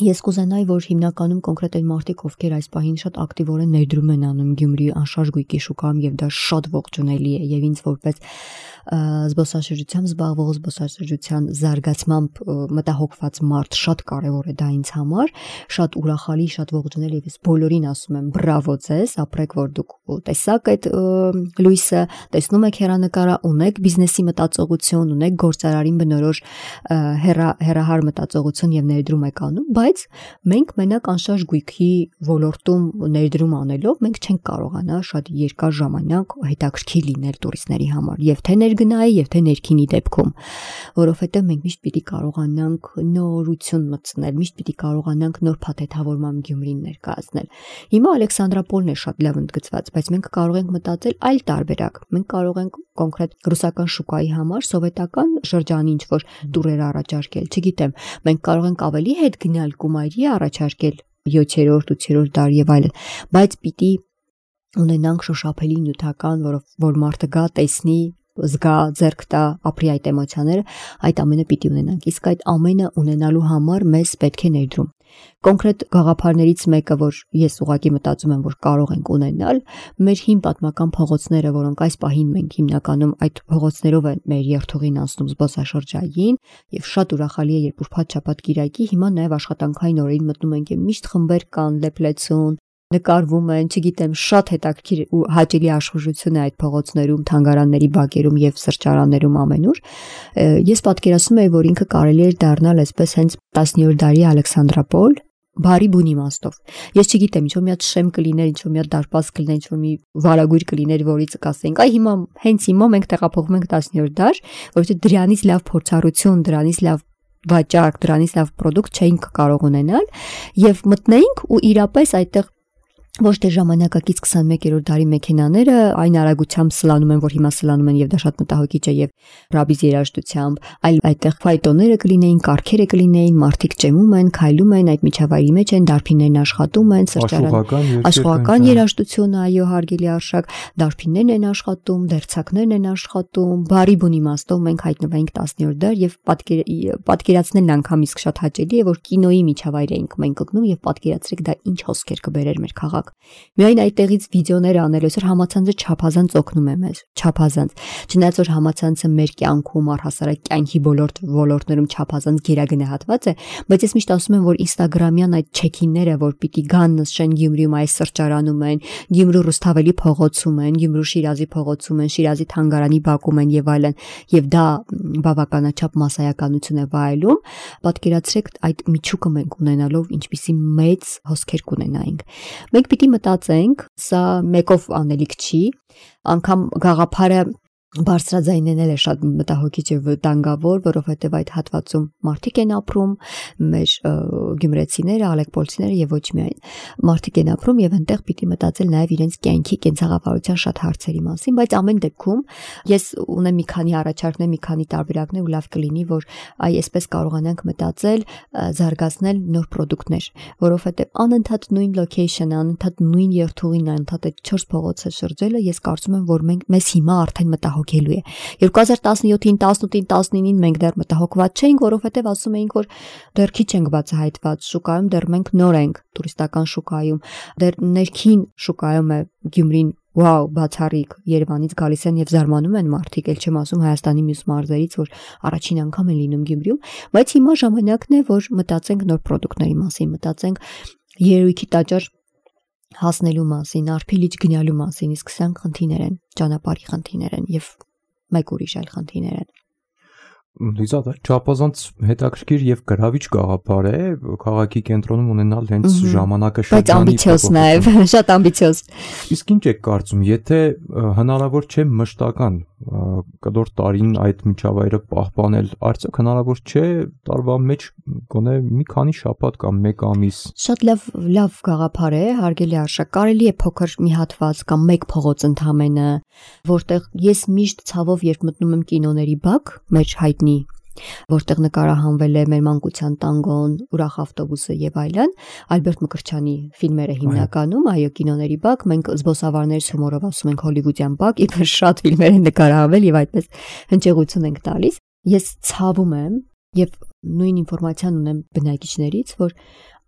ես կուզենայի, որ հիմնականում կոնկրետ այն մարդիկ, ովքեր այս պահին շատ ակտիվորեն ներդրում են անում Գյումրի անշարժ գույքի շուկայում եւ դա շատ ողջունելի է եւ ինձ որպես զբոսաշրջությամբ զբաղվող զբոսաշրջության զարգացմամբ մտահոգված մարդ շատ կարեւոր է դա ինձ համար, շատ ուրախալի, շատ ողջունելի եւ ես բոլորին ասում եմ բրավո ձեզ, ապրեք որ դուք տեսաք այդ լույսը, տեսնում եք հեռանկարը, ունեք բիզնեսի մտածողություն, ունեք գործարարին բնորոշ հեռահար մտածողություն եւ ներդրում եք անում, բայց մենք մենակ անշարժ գույքի ոլորտում ներդրում անելով մենք չենք կարողանա շատ երկար ժամանակ հետաքրքիր լինել տուրիստների համար, եւ թե ներգնայի, եւ թե ներքինի դեպքում, որովհետեւ մենք միշտ պիտի կարողանանք նորություն մտցնել, միշտ պիտի կարողանանք նոր փաթեթավորման Գյումրին ներկայացնել։ Հիմա Ալեքսանդրապոլն է շատ լավ ընդգծված, բայց մենք կարող ենք մտածել այլ տարբերակ։ Մենք կարող ենք կոնկրետ ռուսական շուկայի համար սովետական շրջանի ինչ-որ տուրեր առաջարկել, չգիտեմ, մենք կարող ենք ավելի հետ գնալ Կումայրի առաջարկել 7-րդ, 8-րդ դար եւ այլն, բայց պիտի ունենանք շոշափելի նյութական, որ մարդը գա, տեսնի, զգա, ձեռք տա, ապրի այդ էմոցիաները, այդ ամենը պիտի ունենանք։ Իսկ այդ ամենը ունենալու համար մեզ պետք է ներդրում։ Կոնկրետ գաղափարներից մեկը, որ ես ուղղակի մտածում եմ, որ կարող ենք ունենալ, մեր հին պատմական փողոցները, որոնք այս պահին մենք հիմնականում այդ փողոցներով են մեր երթուղին անցնում զբոսաշրջային, եւ շատ ուրախալի է, երբ ուրբաթ-շաբաթ կիրակի հիմա նաեւ աշխատանքային օրերին մտնում ենք եւ միշտ խմբեր կան, լեփլեցուն, նկարվում են, չգիտեմ, շատ հետաքրքիր ու հաճելի աշխուժություն է այդ փողոցներում, թանգարանների բակերում եւ սրճարաններում ամենուր։ Ես պատկերացնում եմ, որ ինքը կարելի է դառնալ այսպես հենց 10-րդ դարի Ալեքսանդրապոլ, բարի բուն իմաստով։ Ես չգիտեմ, ինչ-որ մի հատ շեմ կլիներ, ինչ-որ մի հատ դարպաս կլիներ, ինչ-որ մի վարագույր կլիներ, որից կասենք, այ հիմա հենց հիմա մենք տեղափոխվում ենք 10-րդ դար, որովհետեւ դրանից լավ փորձառություն, դրանից լավ վաճառք, դրանից լավ պրոդուկտ չէինք կարող ունենալ եւ մտնեինք ու իրապես այդտեղ ոչ թե ժամանակակից 21-րդ դարի մեքենաները այն արագությամբ սլանում են, որ հիմա սլանում են եւ դա շատ մտահոգիչ է եւ ռաբիզ երաժշտությամբ, այլ այդտեղ ֆայտոները կլինեին, կառքերը կլինեին, մարդիկ ճեմում են, քայլում են, այդ միջավայրի մեջ են, դարբիններն աշխատում են, աշխուհական երաժշտություն, այո, հարգելի արշակ, դարբիններն են աշխատում, դերձակներն են աշխատում, բարի բուն իմաստով մենք հայտնվենք 10-րդ դար եւ պատկերացնելն անգամ իսկ շատ հաճելի է, որ կինոյի միջավայր էինք մենք գտնում եւ պատկերացրեք դա ինչ հոսքեր կբերեր մեր քաղաք քաղաք։ Միայն այդտեղից վիդեոներ անել, այսօր համացանցը չափազանց օգնում է մեզ, չափազանց։ Չնայած որ համացանցը մեր կյանքում առհասարակ կյանքի ոլորտներում չափազանց գերագնահատված է, բայց ես միշտ ասում եմ, որ Instagram-յան այդ check-in-ները, որ պիտի գան նշեն Գյումրիում այս սրճարանում են, Գյումրու Ռուսթավելի փողոցում են, Գյումրու Շիրազի փողոցում են, Շիրազի թանգարանի բակում են եւ այլն, եւ դա բավականաչափ մասսայականություն է վայելում, պատկերացրեք այդ միջուկը մենք ունենալով ինչպիսի մեծ հոսքեր կունենայինք։ Մենք պիտի մտածենք, սա մեկով անելիք չի, անգամ գաղափարը բարձրաձայննել է շատ մտահոգիչ եւ վտանգավոր, որովհետեւ այդ հատվածում մարդիկ են ապրում, մեր գյումրեցիները, ալեկպոլցիները եւ ոչ միայն մարդիկ են ապրում եւ այնտեղ պիտի մտածել նաեւ իրենց կյանքի կենցաղավարության շատ հարցերի մասին, բայց ամեն դեպքում ես ունեմ մի քանի առաջարկներ, մի քանի տարբերակներ ու լավ կլինի, որ այսպես կարողանանք մտածել, զարգացնել նոր ապրանքներ, որովհետեւ անընդհատ նույն location-ը, անընդհատ նույն երթուղին, անընդհատ 4 փողոցը շրջելը, ես կարծում եմ, որ մեզ հիմա արդեն մտահոգելու է։ 2017-ին, 18-ին, 19-ին մենք դեռ մտահոգված չէինք, որովհետև ասում էինք, որ դեռ քիչ ենք բացահայտված շուկայում, դեռ մենք նոր ենք տուրիստական շուկայում, դեռ ներքին շուկայում է Գյումրին, վաու, բացառիկ, Երևանից գալիս են եւ զարմանում են մարդիկ, ել չեմ ասում Հայաստանի մյուս մարզերից, որ առաջին անգամ են լինում Գյումրիում, բայց հիմա ժամանակն է, որ մտածենք նոր ապրանքների մասին, մտածենք երևույթի տաճար հասնելու մասին, արփիլիչ գնալու մասին, իսկ սրանք խնդիրներ են, ճանապարհի խնդիրներ են եւ մեկ ուրիշ այլ խնդիրներ են։ Լիզա, դա չափազանց հետաքրքիր եւ գրավիչ գաղափար է քաղաքի կենտրոնում ունենալ հենց ժամանակը շրջանի, բայց ամբիցիոզ նաեւ, շատ ամբիցիոզ։ Իսկ ինչ եք կարծում, եթե հնարավոր չէ մշտական կդոր տարին այդ միջավայրը պահպանել, արդյոք հնարավոր չէ տարվա մեջ գոնե մի քանի շաբաթ կամ մեկ ամիս։ Շատ լավ գաղափար է, հարգելի արժեք, կարելի է փոքր մի հատված կամ մեկ փողոց ընդամենը, որտեղ ես միշտ ցավով երբ մտնում եմ կինոների բակ, մեր հայտնի, որտեղ նկարահանվել է մեր մանկության տանգոն, ուրախ ավտոբուսը եւ այլն, Ալբերտ Մկրտչյանի ֆիլմերը հիմնականում, այո, կինոների բակ, մենք զբոսավարներ հումորով ասում ենք հոլիվուդյան բակ, իբր շատ ֆիլմեր են նկարահանվել եւ այդպես հնչեղություն ենք տալիս։ Ես ցավում եմ եւ նույն ինֆորմացիան ունեմ բնակիչներից, որ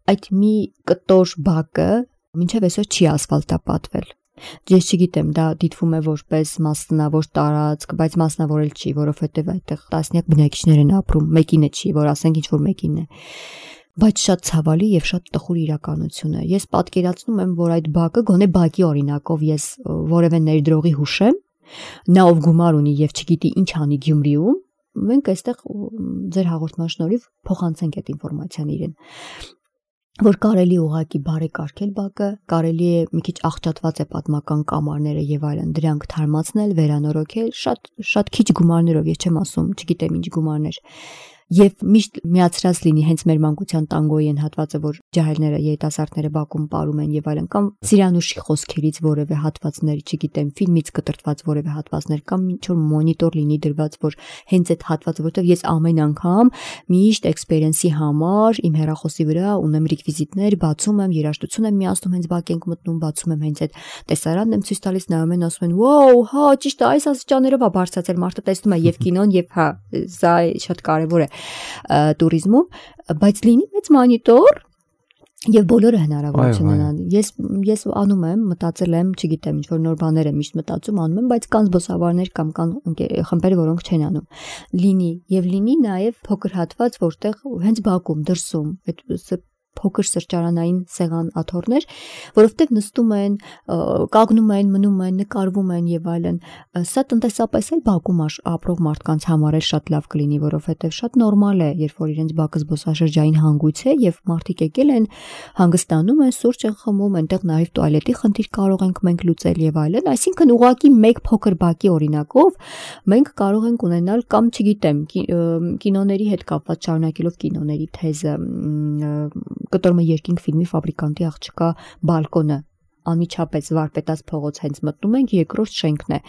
այդ մի կտոր բակը մինչեւ այսօր չի ասֆալտապատվել։ Ես չգիտեմ, դա դիտվում է որպես մասնավոր տարածք, բայց մասնավորել չի, որովհետև այդտեղ տասնյակ բնակիչներ են ապրում, մեկինը չի, որ ասենք ինչ որ մեկինն է։ Բայց շատ ցավալի եւ շատ տխուր իրականություն է։ Ես պատկերացնում եմ, որ այդ բակը գոնե բակի օրինակով ես որևէ ներդրողի հուշեմ, նա ով գումար ունի եւ չգիտի ինչ անի Գյումրիում, մենք այստեղ ձեր հաղորդման շնորհիվ փոխանցենք այդ ինֆորմացիան իրեն։ Որ կարելի ուղակի բարեկարգել բակը, կարելի է մի քիչ աղճատված է պատմական կամարները եւ այլն, դրանք թարմացնել, վերանորոգել, շատ քիչ գումարներով, ես չեմ ասում, չգիտեմ ինչ գումարներ։ Եվ միշտ միացրած լինի հենց մեր մանկության տանգոյի են հատվածը, որ ջահելները, երիտասարդները բակում ապարում են եւ այլն, կամ Սիրանուշի խոսքերից որևէ հատվածներ, չգիտեմ, ֆիլմից կտրտված որևէ հատվածներ, կամ ինչ որ մոնիտոր լինի դրված, որ հենց այդ հատվածը, որտեղ ես ամեն անգամ միշտ էքսպերիենսի համար իմ հեռախոսի վրա ունեմ ռեկվիզիտներ, բացում եմ, երաժշտություն եմ միացնում, հենց բակ ենք մտնում, բացում եմ հենց այդ տեսարանն եմ ցույց տալիս, նայում են, ասում են, «Վաու, հա, ճիշտ է, այս աստիճաններով է բարձրացել», մարդը տեսնում է եւ կինոն եւ հա, սա շատ կարեւոր է տուրիզմում, բայց լինի մեծ մոնիտոր եւ բոլորը հնարավորություն ունեն։ Ես անում եմ, մտածել եմ, չգիտեմ, ինչ որ նոր բաներ եմ միշտ մտածում, անում եմ, բայց կան զբոսավարներ կամ կան խմբեր, որոնք չեն անում։ Լինի եւ լինի նաեւ փոքր հատված, որտեղ հենց բակում դրսում այդ փոքր սրճարանային սեղան աթոռներ, որովհետև նստում են, կանգնում են, մնում են, նկարվում են եւ այլն։ Սա տնտեսապես էլ բակում ապրող մարդկանց համար էլ շատ լավ կլինի, որովհետև շատ նորմալ է, երբ որ իրենց բակը զբոսաշրջային հանգույց է եւ մարդիկ եկել են, հանգստանում են, սուրճ են խմում, այնտեղ նաեւ տուալետի խնդիր կարող ենք մենք լուծել եւ այլն, այսինքն ուղղակի մեկ փոքր բակի օրինակով մենք կարող ենք ունենալ կամ չգիտեմ, կինոների հետ կապված շարունակելով կինոների թեզը կտորմը երկինք ֆիլմի ֆաբրիկանտի աղջկա բալկոնը անմիջապես վարպետաց փողոց հենց մտնում ենք, երկրորդ շենքն է,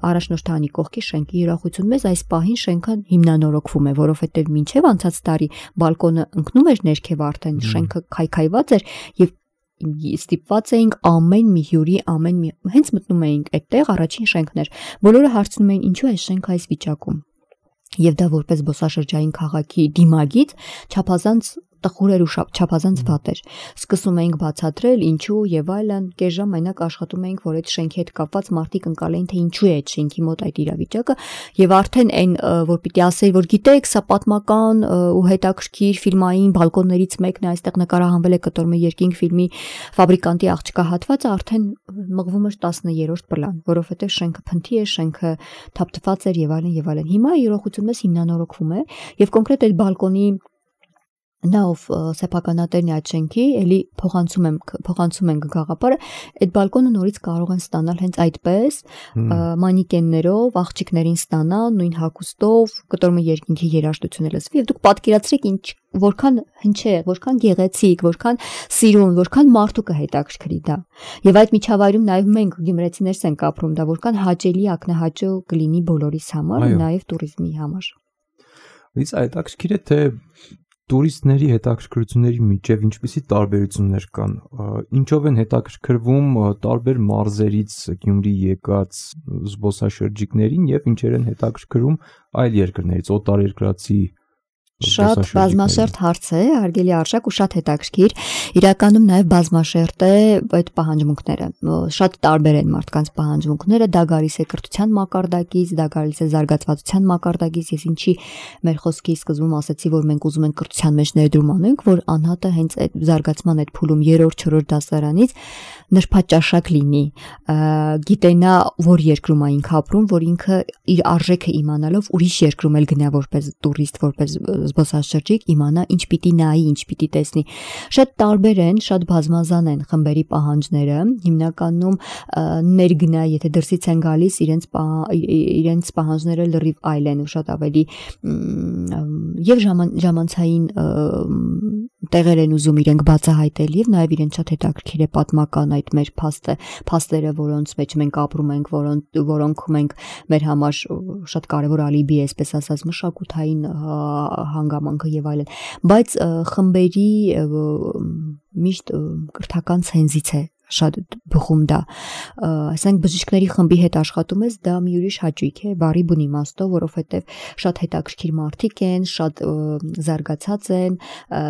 առաջնորդանի կողքի շենքի ուրախություն մեզ այս պահին շենքը հիմնանորոգվում է, որովհետև մինչև անցած տարի բալկոնը ընկնում էր ներքև արդեն շենքը քայքայված էր եւ ստիպված էինք ամեն մի հյուրի հենց մտնում էինք այդտեղ առաջին շենքն էր, բոլորը հարցնում էին ինչու է շենքը այս վիճակում։ Եվ դա որպես զբոսաշրջային քաղաքի դիմագիծ չափազանց տխուր էր ու չափազանց վատ էր։ Սկսում էինք բացատրել ինչու եւ այլն, կես ժամ մենակ աշխատում էինք, որ այդ շենքի հետ կապված մարդիկ ընկալեին, թե ինչու է այդ շենքի մոտ այդ իրավիճակը, եւ արդեն այն որ պիտի ասեի, որ գիտեք, սա պատմական ու հետաքրքիր ֆիլմային բալկոններից մեկն է, այստեղ նկարահանվել է Կտոր երկինք ֆիլմի ֆաբրիկանտի աղջկա հատվածը, արդեն մղվում էր 10-րդ պլան, որովհետեւ շենքը փնթի է, շենքը թափթփած էր եւ այլն եւ այլն։ Հիմա իրողությունն էս հիմնանորոգվում է եւ կոնկրետ այդ բալկոնի նավ սեփականատերն է այդ շենքի, էլի փոխանցում ենք գաղափարը, այդ բալկոնը նորից կարող են ստանալ հենց այդպես, մանիկեններով, աղջիկներին ստանան, նույն հագուստով, Կտոր երկինքի երաժշտությունը լսվի, եւ դուք պատկերացրեք որքան հնչեղ, որքան գեղեցիկ, որքան սիրուն, որքան մարդու կհետաքրքրի դա։ Եվ այդ միջավայրում նաեւ մենք գյումրեցիներս ենք ապրում, դա որքան հաճելի ակնահաճո կլինի բոլորիս համար, նաեւ туриզմի համար։ Իսկ հետաքրքիր է թե տուրիստների հետաքրքրությունների միջև ինչպիսի տարբերություններ կան, ինչով են հետաքրքրվում տարբեր մարզերից Գյումրի եկած զբոսաշրջիկներին եւ ինչեր են հետաքրքրում այլ երկրներից, օտարերկրացի Շատ բազմաշերտ հարց է, հարգելի Արշակ ու շատ հետաքրքիր։ Իրականում նաև բազմաշերտ է այդ պահանջմունքները։ Շատ տարբեր են մարդկանց պահանջմունքները, դա գալիս է կրթության մակարդակից, դա գալիս է զարգացվածության մակարդակից։ Ես ինչի մեր խոսքի սկզբում ասացի, որ մենք ուզում ենք կրթության մեջ ներդրում անենք, որ անհատը հենց այդ զարգացման այդ փուլում 3-4 դասարանից նրբաճաշակ լինի, գիտենա որ երկրում է ինքը ապրում, որ ինքը իր արժեքը իմանալով ուրիշ երկրում էլ գնա որպես տուրիստ, որպես զբոսաշրջիկ, իմանա ինչ պիտի նայի, ինչ պիտի տեսնի։ Շատ տարբեր են, շատ բազմազան են խմբերի պահանջները, հիմնականում ներգնա, եթե դրսից են գալիս, իրենց պահանջները լրիվ այլ են ու շատ ավելի եւ ժամանցային տեղեր են ուզում իրենք բացահայտել եւ նաեւ իրենց շատ հետաքրքիր է պատմական այդ մեր փաստերը, որոնց մեջ մենք ապրում ենք, որոնք մենք մեր համար շատ կարեւոր ալիբի է, այսպես ասած, մշակութային հանգամանքը եւ այլն, բայց խմբերի միշտ կրթական ցենզից է շատ բխում դա, ասենք բժիշկների խմբի հետ աշխատում ես, դա մի ուրիշ հաճույք է, բարի բուն իմաստով, որովհետև շատ հետաքրքիր մարդիկ են, շատ զարգացած են,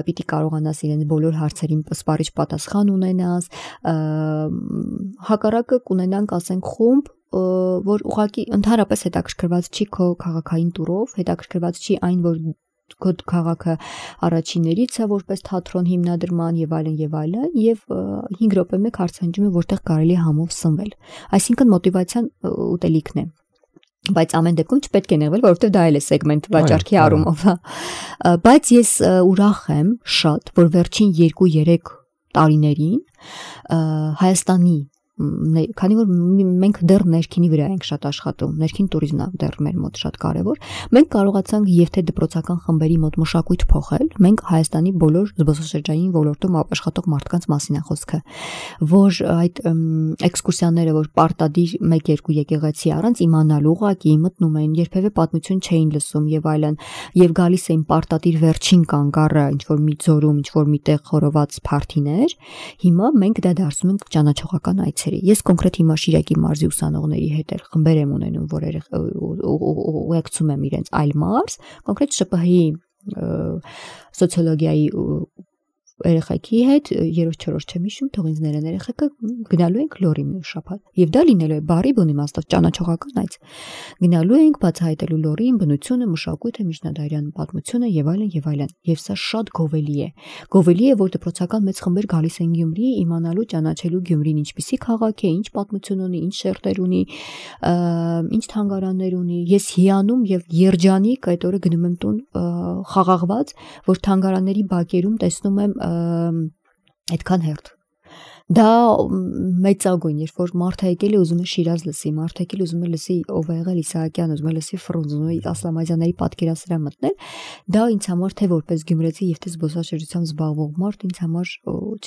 պիտի կարողանաս իրենց բոլոր հարցերին սպառիչ պատասխան ունենաս, հակառակը կունենանք, ասենք, խումբ, որ ուղղակի ընդհանրապես հետաքրքրված չի քո քաղաքային տուրով, հետաքրքրված չի այն, որ քո քաղաքը առաջիններից է որպես թատրոն հիմնադրման եւ այլն եւ 5 րոպե մեկ հարցանջում է որտեղ կարելի է համով սնվել, այսինքն մոտիվացիան ուտելիքն է, բայց ամեն դեպքում չպետք է նեղվել, որովհետեւ դա էլ է սեգմենտ վաճառքի առումով, բայց ես ուրախ եմ շատ, որ վերջին 2-3 տարիներին Հայաստանի քանի որ մենք դեռ ներքինի վրա ենք շատ աշխատում, ներքին туриզմն է դեռ մեր մոտ շատ կարևոր, մենք կարողացանք եւ թե դպրոցական խմբերի մոտ մշակույթ փոխել, մենք Հայաստանի բոլոր զբոսաշրջային ոլորտում աշխատող մարդկանց մասին է խոսքը, որ այդ էքսկուրսիաները, որ պարտադիր 1-2 եկեղեցի առանց իմանալու ուղղակի մտնում էին, երբևէ պատմություն չէին լսում եւ այլն, եւ գալիս էին պարտադիր վերջին կանգառը, ինչ որ մի ձորում, ինչ որ միտեղ խորոված փարթիներ, հիմա մենք դա դարձնում ենք ճանաչողական այցեր։ Ես կոնկրետ հիմա Շիրակի մարզի ուսանողների հետ էլ խմբեր եմ ունենում, որ ուղեկցում եմ իրենց այլ մարզ, կոնկրետ ՇՊՀ-ի սոցիոլոգիայի երեխեքի հետ 3-4 չեմ հիշում, թող ինձ ներեն երեխեքը գնալու ենք լորի մի շաբաթ եւ դա լինելու է բարի բուն իմաստով ճանաչողական այց գնալու ենք բացահայտելու լորին բնությունը, մշակույթը, միջնադարյան պատմությունը եւ այլն եւ սա շատ գովելի է որ դպրոցական մեծ խմբեր գալիս են Գյումրի իմանալու ճանաչելու Գյումրին ինչպիսի քաղաք է, ինչ պատմություն ունի, ինչ շերտեր ունի, ինչ թանգարաններ ունի, ես հիանում եւ երջանիկ այդ օրը գնում եմ տուն խաղաղված, որ թանգարանների բակերում տեսնում եմ այդքան հերթ դա մեծագույն, երբ որ մարդը եկել է ուզում է Շիրազ լսի, մարդը եկել ուզում է լսի ով է եղել Իսահակյան, ուզում է լսի Ֆրունզ, ուզում է Ասլամազյանների պատկերասրահ մտնել, դա ինձ համար թե որպես գյումրեցի եւ թե զբոսաշրջությամբ զբաղվող մարդ ինձ համար,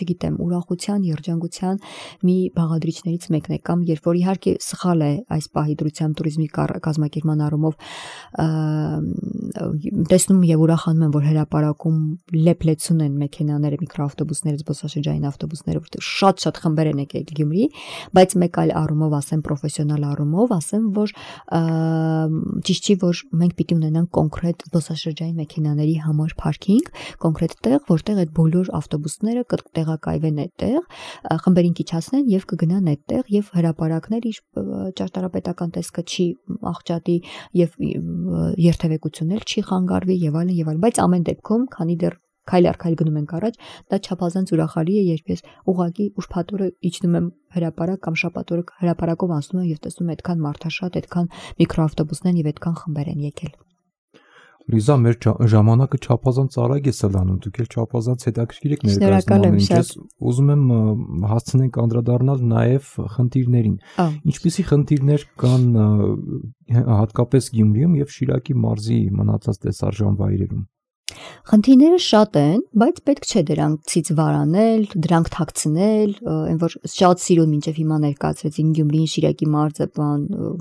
չգիտեմ, ուրախության, երջանկության մի բաղադրիչներից մեկն է, կամ երբ որ իհարկե սխալ է այս պահի դրությամբ туриզմի կազմակերպման առումով տեսնում եւ ուրախանում եմ, որ հրապարակում լեփլեցուն են մեքենաները, միկրոավտոբուսները, զբոսաշրջային ավտոբուսները, որտեղ շատ շատ խմբեր են եկել Գյումրի, բայց մեկ այլ առումով ասեմ պրոֆեսիոնալ առումով, ասեմ, որ ճիշտ չի, որ մենք պիտի ունենանք կոնկրետ զբոսաշրջային մեքենաների համար parking, կոնկրետ տեղ, որտեղ այդ բոլոր ավտոբուսները կտեղակայվեն այդտեղ, խմբերին քիչացնեն եւ կգնան այդտեղ եւ հրապարակներ իր ճարտարապետական տեսքը չի աղճատի եւ երթևեկություններ չի խանգարվի եւ այլն, բայց ամեն դեպքում, քանի դեռ քայլ առ քայլ գնում ենք առաջ, դա չափազանց ուրախալի է, երբ ես ուղղակի ուրբաթօրը իջնում եմ հրապարակ կամ շաբաթօրը հրապարակով անցնում եմ եւ տեսնում եմ այդքան մարդաշատ, այդքան միկրոավտոբուսներ եւ այդքան խմբեր են եկել։ Լիզա, մեր ժամանակը չափազանց արագ է սլանում, դուք էլ չափազանց հետաքրքիր եք ներկայացնում։ Ես ուզում եմ հասցնենք անդրադառնալ նաև խնդիրներին։ Ինչպիսի խնդիրներ կան հատկապես Գյումրիում եւ Շիրակի մարզի մնացած տեսարժան վայրերում։ Խնդիրները շատ են, բայց պետք չէ դրանցից վարանել, դրանք թաքցնել, այն որ շատ սիրուն մինչև հիմա ներկայացրեցին Գյումրին, Շիրակի մարզը,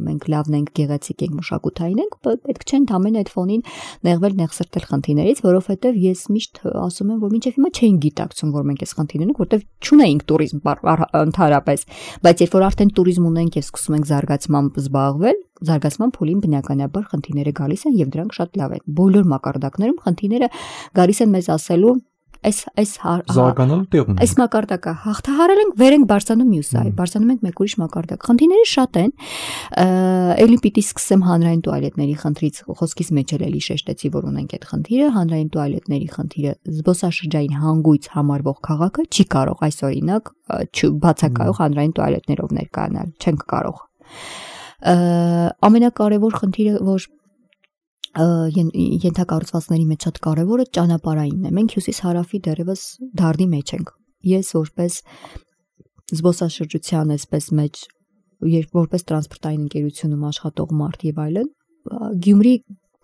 մենք լավն ենք, գեղեցիկ ենք, մշակութային ենք, պետք չէ ընդամենը այդ ֆոնին նեղվել, նեղսրտել խնդիրներից, որովհետև ես միշտ ասում եմ, որ մինչև հիմա չէին գիտակցում, որ մենք այս խնդիրն ունենք, որովհետև չունեինք туриզմ ընդհանրապես, բայց երբ որ արդեն туриզմ ունենք եւ սկսում ենք զարգացմամբ զբաղվել, զարգացման փուլին բնականաբար խնդիրները գալիս են եւ դրանք շատ լավ են։ Բոլոր մակարդակներում խնդիրները գալիս են մեզ ասելու այս զարգանալու տեղ ունեն։ Այս մակարդակը հաղթահարել ենք, վեր ենք բարձրանում մյուս այլ, բարձրանում ենք մեկ ուրիշ մակարդակ։ Խնդիրները շատ են։ Էլի պիտի սկսեմ հանրային տուալետների խնդրից, խոսքիս մեջ էլի շեշտեցի, որ ունենք այդ խնդիրը, հանրային տուալետների խնդիրը, զբոսաշրջային հանգույց համարվող քաղաքը չի կարող այս օրինակ բացակայող հանրային տուալետներով ներկայանալ, չենք կարող։ Ամենակարևոր խնդիրը, որ ենթակառուցվածքների մեջ շատ կարևորը ճանապարհայինն է։ Մենք հյուսիս-հարավի դեռևս դարդի մեջ ենք։ Ես որպես զբոսաշրջության այսպես մեջ, որպես տրանսպորտային ընկերությունում աշխատող մարդ եւ այլն,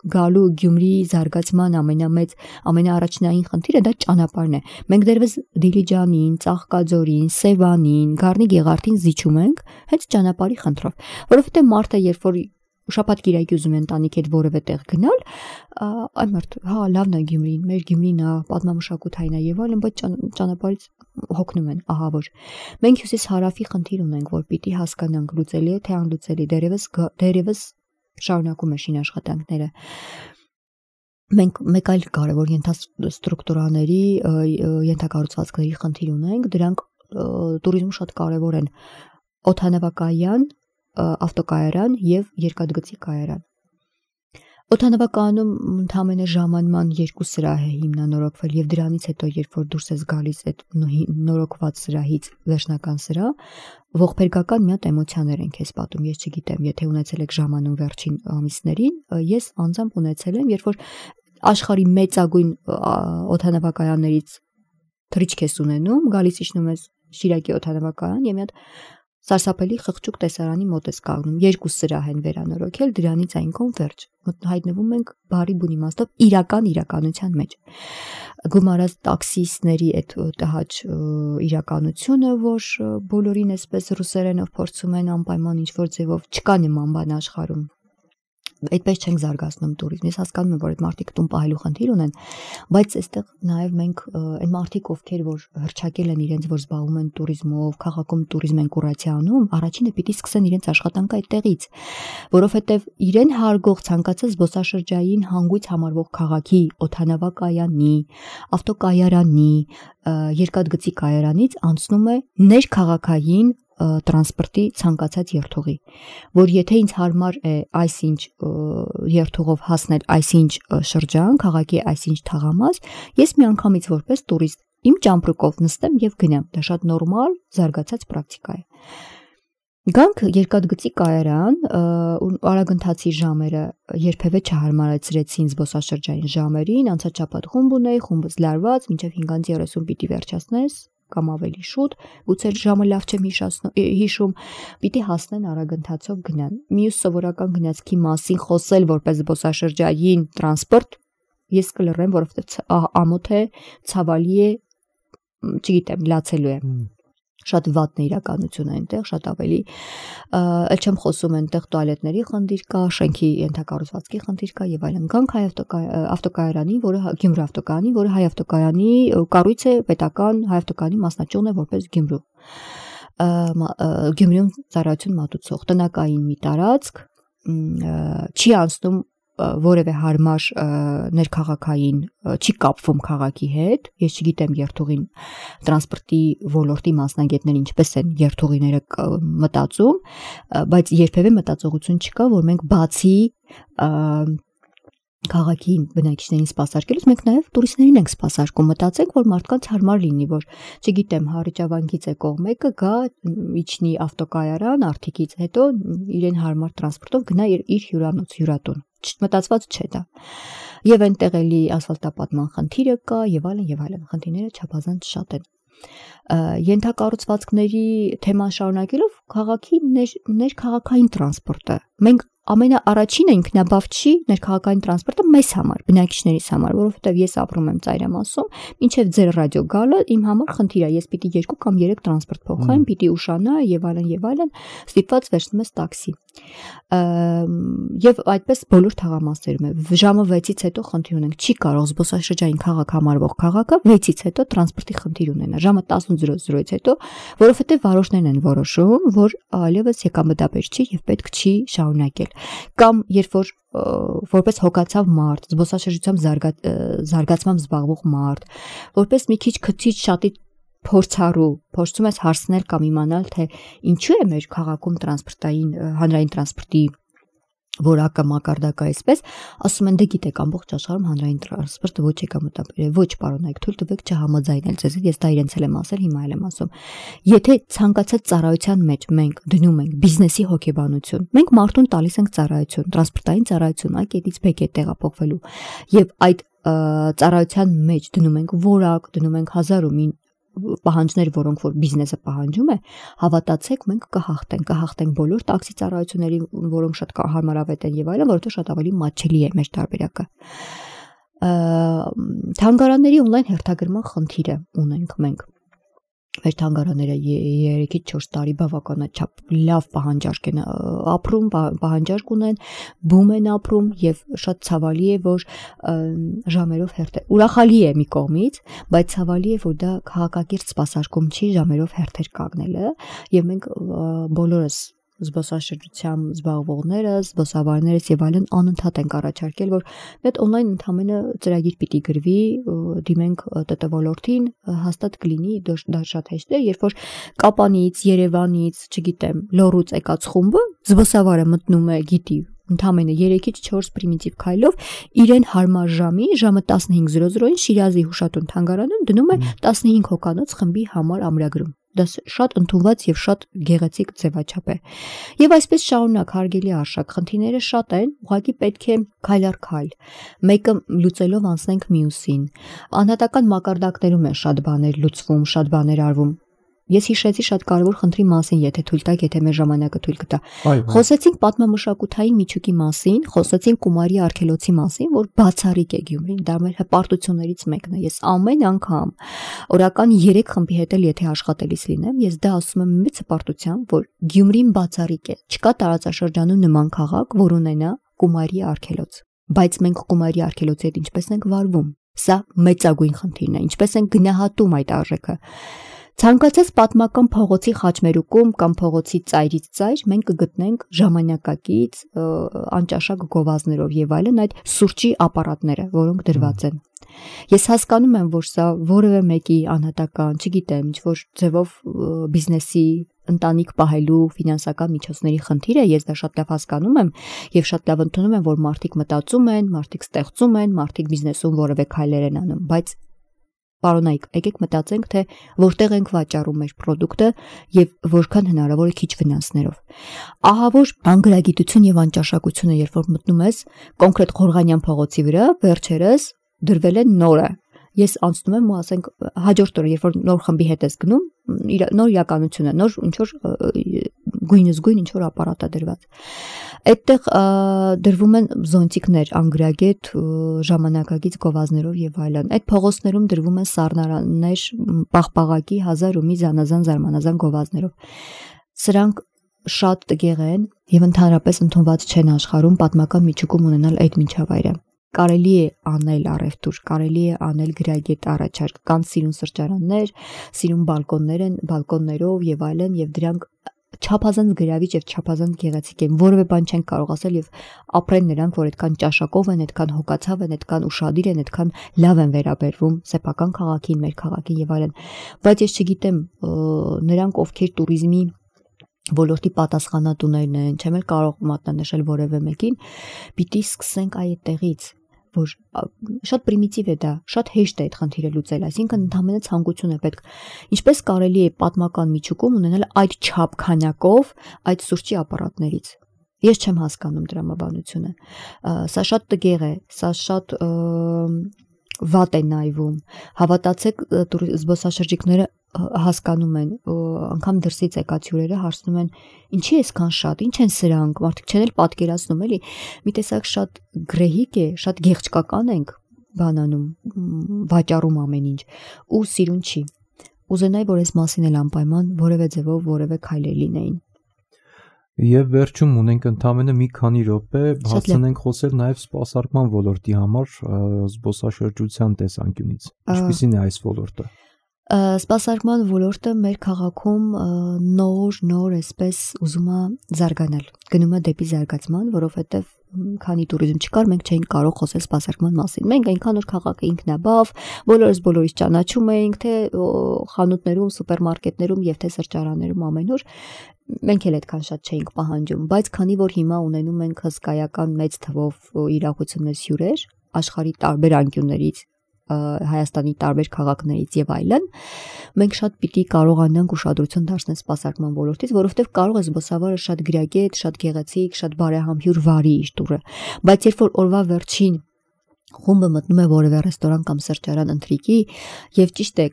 Գյումրի զարգացման ամենաառաջնային խնդիրը դա ճանապարհն է։ Մենք դեռևս Դիլիջանին, Ծաղկաձորին, Սևանին, Գառնի Գեղարդին զիջում ենք հենց ճանապարհի խնդրով, որովհետեւ մարդը երբ որ շաբաթ-կիրակի ուզում է ընտանիքի հետ որևէ տեղ գնալ, այ մարդ, լավն է Գյումրին, մեր Գյումրին է, պատմամշակութային է եւ այլն, բայց ճանապարհից հոգնում են, ահա որ։ Մենք հյուսիս-հարավի խնդիր ունենք, որ պիտի հասկանանք լուծելի է թե անլուծելի, դեռևս շարունակում է շինաշխատանքները։ Մենք մեկ այլ կարևոր ենթաստրուկտուրաների, ենթակառուցվածքների խնդիր ունենք, դրանք туриզմում շատ կարևոր են։ Օդանավակայան, ավտոկայարան եւ երկաթգծի կայարան։ Օդանավակայանում ընդամենը ժամանման 2 սրահ է հիմնանորոգվել եւ դրանից հետո երբ որ դուրս ես գալիս այդ նորոգված սրահից վերջնական սրահ, ողբերգական մի հատ էմոցիաներ են քեզ պատում, ես չգիտեմ, եթե ունեցել եք ժամանում վերջին ամիսներին, ես անձամբ ունեցել եմ, երբ որ աշխարհի մեծագույն օդանավակայաններից թռիչք ես ունենում, գալիս իջնում ես Շիրակի օդանավակայան եւ մի հատ սարսափելի խղճուկ տեսարանի մոտ ես կանգնում, 2 սրահ են վերանորոգել, դրանից այնքան վերջ։ Հայտնվում ենք բարի բուն իմաստով իրականության մեջ։ Գումարած տաքսիստների այդ տհաճ իրականությունը, որ բոլորին այսպես ռուսերենով փորձում են անպայման ինչ-որ ձևով, չկա նման բան աշխարհում։ Այդպես չենք զարգացնում туриզմ։ Ես հասկանում եմ, որ այդ մարդիկ տուն պահելու խնդիր ունեն, բայց այստեղ նաև մենք այն մարդիկ, ովքեր որ հրճակել են իրենց, որ զբաղվում են туриզմով, քաղաքում туриզմ են կուրացիա անում, առաջինը պիտի սկսեն իրենց աշխատանքը այդտեղից, որովհետև իրեն հարգող ցանկացած զբոսաշրջային հանգույց համարվող քաղաքի օդանավակայանի, ավտոկայարանի, երկաթգծի կայարանից անցնում է ներքաղաքային տրանսպորտի ցանկացած երթուղի, որ եթե ինձ հարմար է այսինչ երթուղով հասնել այսինչ շրջան, քաղաքի այսինչ թաղամաս, ես միանգամից որպես տուրիստ իմ ճամպրուկով նստեմ եւ գնամ։ Դա շատ նորմալ, զարգացած պրակտիկա է։ Գանք երկաթգծի կայարան, արագընթացի ժամերը երբևէ չհարմարեցրեցին զբոսաշրջային ժամերին, անցած շաբաթ խումբ ունեի, խումբս լարված, մինչև 5:30 պիտի վերջացնես կամ ավելի շուտ, գուցե ժամը լավ չեմ հիշում, պիտի հասնեն արագընթացով գնան։ Մյուս սովորական գնացքի մասին խոսել որպես զբոսաշրջային տրանսպորտ, ես կլռեմ, որովհետև ամոթ է, ցավալի է, չգիտեմ, լացելու է։ շատ վատն է իրականությունը այնտեղ, շատ ավելի ել չեմ խոսում այնտեղ տուալետների խնդիր կա, շենքի ենթակառուցվածքի խնդիր կա եւ այլն։ Գանք հայ ավտոկայանին, որը Գյումրի ավտոկայանի, որը հայ ավտոկայանի կառույց է, պետական հայ ավտոկայանի մասնաճյուղն է որպես Գյումրու։ Գյումրիում ծառայություն մատուցող տնակային մի տարածք չի անցնում որևէ հարմար ներքաղաքային, չի կապվում քաղաքի հետ, ես չգիտեմ երթուղին տրանսպորտի ոլորտի մասնագետները ինչպես են երթուղիները մտածում, բայց երբևէ մտածողություն չկա, որ մենք բացի քաղաքի բնակիչներին սպասարկելուց մենք նաև տուրիստներին ենք սպասարկում, մտածենք, որ մարդկանց հարմար լինի, որ չգիտեմ, Հառիճավանքից եկող մեկը գա, իջնի ավտոկայարան, արդիկից հետո իրեն հարմար տրանսպորտով գնա իր հյուրանոց, հյուրատուն։ Մտածված չէ դա։ Եվ այնտեղ էլի ասֆալտապատման խնդիրը կա եւ այլն, խնդիրները չափազանց շատ են։ Ենթակառուցվածքների թեման շարունակելով քաղաքի ներքաղաքային տրանսպորտը։ Մենք ամենաառաջինը ինքնաբավ չի ներքաղաքային տրանսպորտը մեզ համար, բնակիչներիս համար, որովհետև ես ապրում եմ Ծայրամասում, մինչև ձեր ռադիո գալը իմ համար խնդիր է, ես պիտի 2 կամ 3 տրանսպորտ փոխեմ, պիտի ուշանա եւ այլն, ստիպված վերցնում ես տաքսի։ Եվ այդպես բոլոր թաղամասերում է։ Ժամը 6-ից հետո խնդիր ունենք, չի կարող զբոսաշրջային քաղաք համարվող քաղաքը 6-ից հետո տրանսպորտի խնդիր ունենա։ Ժամը 18:00-ից հետո, որովհետև վարորդներն են որոշում, որ այլևս եկամտաբեր չի եւ պետք չի շարունակել։ Կամ երբ որ որպես հոգացավ մարդ, զբոսաշրջությամբ զարգացմամբ զբաղվող մարդ, որպես մի քիչ քցիչ շատի փորձառու, փորձում ես հարցնել կամ իմանալ, թե ինչու է մեր քաղաքում հանրային տրանսպորտի որակը մակարդակը այսպես, ասում են դե գիտեք ամբողջ աշխարհում հանրային տրանսպորտը ոչ եկամտաբեր է, ոչ պարոնայք, թույլ տվեք չհամաձայնել ձեզ, ես դա իրենց էլ եմ ասել, հիմա էլ եմ ասում։ Եթե ցանկացած ծառայության մեջ մենք դնում ենք բիզնեսի հոգեբանություն, մենք մարդուն տալիս ենք ծառայություն, տրանսպորտային ծառայություն, այ կետից B կետ տեղափոխվելու, եւ այդ ծառայության մեջ դնում ենք որակ, դնում ենք 1000 պահանջներ, որոնք որ բիզնեսը պահանջում է, հավատացեք, մենք կհաղթենք բոլոր տաքսի ծառայությունների, որոնք շատ հարմարավետ են եւ այլն, որովհետեւ շատ ավելի մատչելի է մեր տարբերակը։ Թանգարանների օնլայն հերթագրման խնդիրը ունենք մենք։ Մեր թանգարանները 3-ից 4 տարի բավականաչափ լավ պահանջարկ են ապրում, պահանջարկ ունեն, բում են ապրում եւ շատ ցավալի է, որ ժամերով ուրախալի է մի կողմից, բայց ցավալի է, որ դա քաղաքակիրթ սպասարկում չի ժամերով հերթեր կանգնելը եւ մենք բոլորս զբոսաշրջությամբ զբաղվողները, զբոսավարներս եւ այլն անընդհատ ենք առաջարկել, որ այդ օնլայն ընդհանրապես ծրագիր պիտի գրվի, դիմենք ՏՏ ոլորտին, հաստատ կլինի, դա շատ հեշտ է, երբ որ Կապանից, Երևանից, չգիտեմ, Լոռուց եկած խումբը զբոսավարը մտնում է, գիտի, ընդամենը 3-ից 4 պրիմիտիվ քայլով իրեն հարմար ժամը 15:00-ին Շիրազի Հուշատուն թանգարանում դնում է 15 հոգանոց խմբի համար ամրագրում։ Դա շատ ընդունված եւ շատ գեղեցիկ ձևաչափ է։ Եվ այսպես շարունակ հարգելի արշակ, խնդիրները շատ են, ուղղակի պետք է քայլ առ քայլ։ Մեկը լուծելով անցնենք մյուսին։ Անհատական մակարդակներում են շատ բաներ լուծվում, շատ բաներ արվում։ Ես հիշեցի շատ կարևոր խնդրի մասին, եթե թույլ տաք, եթե մեր ժամանակը թույլ կտա։ Խոսեցինք պատմամշակութային միջուկի մասին, խոսեցինք Կումարի արգելոցի մասին, որ բացառիկ է Գյումրին, դա մեր հպարտություններից մեկն է։ Ես ամեն անգամ օրական 3 խմբի հետ էլ եթե աշխատելիս լինեմ, ես դա ասում եմ մեծ հպարտությամբ, որ Գյումրին բացառիկ է։ Չկա տարածաշրջանում նման քաղաք, որ ունենա Կումարի արգելոց։ Բայց մենք Կումարի արգելոցի հետ ինչպես ենք վարվում։ Սա մեծագույն խնդիրն է, ինչպես ենք գնահատում այդ արժեքը։ Ցանկացած պատմական փողոցի խաչմերուկում կամ փողոցի ծայրից ծայր մենք կգտնենք ժամանակակից անճաշակ գովազդներով եւ այլն այդ սուրճի ապարատները, որոնք դրված են։ Ես հասկանում եմ, որ սա որևէ մեկի անհատական, չգիտեմ, ինչ-որ ձևով բիզնեսի ընտանիք պահելու ֆինանսական միջոցների խնդիր է, ես դա շատ լավ հասկանում եմ եւ շատ լավ ընդունում եմ, որ մարդիկ մտածում են, մարդիկ ստեղծում են, մարդիկ բիզնեսում որևէ քայլեր են անում, բայց Պարոնայք, եկեք մտածենք, թե որտեղ ենք վաճառում մեր պրոդուկտը եւ որքան հնարավոր է քիչ վնասներով։ Ահա որ անգրագիտություն եւ անճաշակությունը, երբ որ մտնում ես կոնկրետ Խորղանյան փողոցի վրա, վերջերս դրվել է նորը։ Ես անցնում եմ ու ասենք հաջորդ օրը, երբ որ նոր խմբի հետ ես գնում, նոր իրականություն է, նոր ինչ որ գույն ինչ որ ապարատ է դրված։ Այդտեղ դրվում են զոնտիկներ, անգրագետ, ժամանակակից գովազդներով եւ այլն։ Այդ փողոցներում դրվում են սառնարաններ, պաղպաղակի 1000 ու մի զանազան գովազդներով։ Սրանք շատ տգեղ են եւ ընդհանրապես ընդունված չեն աշխարհում պատմական միջուկում ունենալ այդ միջավայրը։ Կարելի է անել առևտուր, կարելի է անել գրագետ առաջարկ, կան սիրուն սրճարաններ, սիրուն բալկոններով եւ այլն, եւ դրանք չափազանց գրավիչ եւ չափազանց գեղեցիկ են, որևէ բան չեն կարող ասել եւ ապրեն նրանք, որ այդքան ճաշակով են, այդքան հոգացավ են, այդքան ուշադիր են, այդքան լավ են վերաբերվում սեփական քաղաքին, մեր քաղաքին եւ այլն։ Բայց ես չգիտեմ, նրանք ովքեր туриզմի ոլորտի պատասխանատուներն են, չեմ էլ կարող մատնանշել որևէ մեկին, պիտի սկսենք այդտեղից, որ շատ պրիմիտիվ է դա, շատ հեշտ է այդ խնդիրը լուծել, այսինքն ընդհանրապես ցանկություն է պետք։ Ինչպես կարելի է պատմական միջուկում ունենալ այդ չափ քանակով այդ սուրճի ապարատներից։ Ես չեմ հասկանում դրամաբանությունը։ Սա շատ տգեղ է, սա շատ վատ է նայվում։ Հավատացեք, զբոսաշրջիկները հասկանում են, անգամ դրսից եկած հյուրերը հարցնում են, ինչի է այսքան շատ, ինչ են սրանք, մարդիկ չեն էլ պատկերացնում, էլի, մի տեսակ շատ գրեհիկ է, շատ գեղեցկական ենք բանանում, վաճառում ամեն ինչ, ու սիրուն չի։ Ուզենայի, որ այս մասին էլ անպայման որևէ ձևով որևէ քայլեր լինեին։ Եվ վերջում ունենք ընդամենը մի քանի րոպե, հասցնենք խոսել նաև սպասարկման ոլորտի համար զբոսաշրջության տեսանկյունից։ Ինչպիսին է այս ոլորտը։ Սպասարկման ոլորտը մեր քաղաքում նոր այսպես ուզում է զարգանալ, գնում է դեպի զարգացման, որովհետև քանի туриզմ չկար, մենք չէինք կարող խոսել սպասարկման մասին։ Մենք այնքան որ քաղաքը ինքնաբավ, բոլորից ճանաչում էինք, թե խանութներում, սուպերմարկետներում եւ թե սրճարաններում ամենուր, մենք էլ այդքան շատ չէինք պահանջում, բայց քանի որ հիմա ունենում ենք հսկայական մեծ թվով իրողություններ հյուրեր աշխարհի տարբեր անկյուններից, Հայաստանի տարբեր քաղաքներից եւ այլն, մենք շատ պիտի կարողանանք ուշադրություն դարձնել սպասարկման ոլորտից, որովհետեւ կարող է զբոսավարը շատ գրագետ, շատ գեղեցիկ, շատ բարեհամբույր վարի իր տուրը, բայց երբ որ օրվա վերջին խումբը մտնում է որևէ ռեստորան կամ սրճարան ընթրիկի եւ ճիշտ է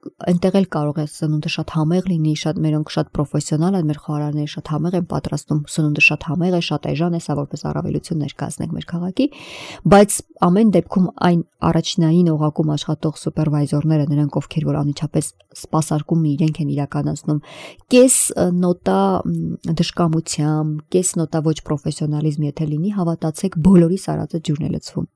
այնտեղ էլ կարող է սնունդը շատ համեղ լինի, մերոնք շատ պրոֆեսիոնալ են, մեր խոհարարները շատ համեղ են պատրաստում, սնունդը շատ համեղ է, շատ էժան է, սա որպես առավելություն ներկայացնենք մեր քաղաքի, բայց ամեն դեպքում այն առաջնային օղակում աշխատող սուպերվայզորները, նրանք ովքեր որ անմիջապես սպասարկումն իրենք են իրականացնում, կես նոտա դժկամությամբ, կես նոտա ոչ պրոֆեսիոնալիզմ եթե լինի, հավատացեք, բոլորի սարածը ջուրն է լցվում։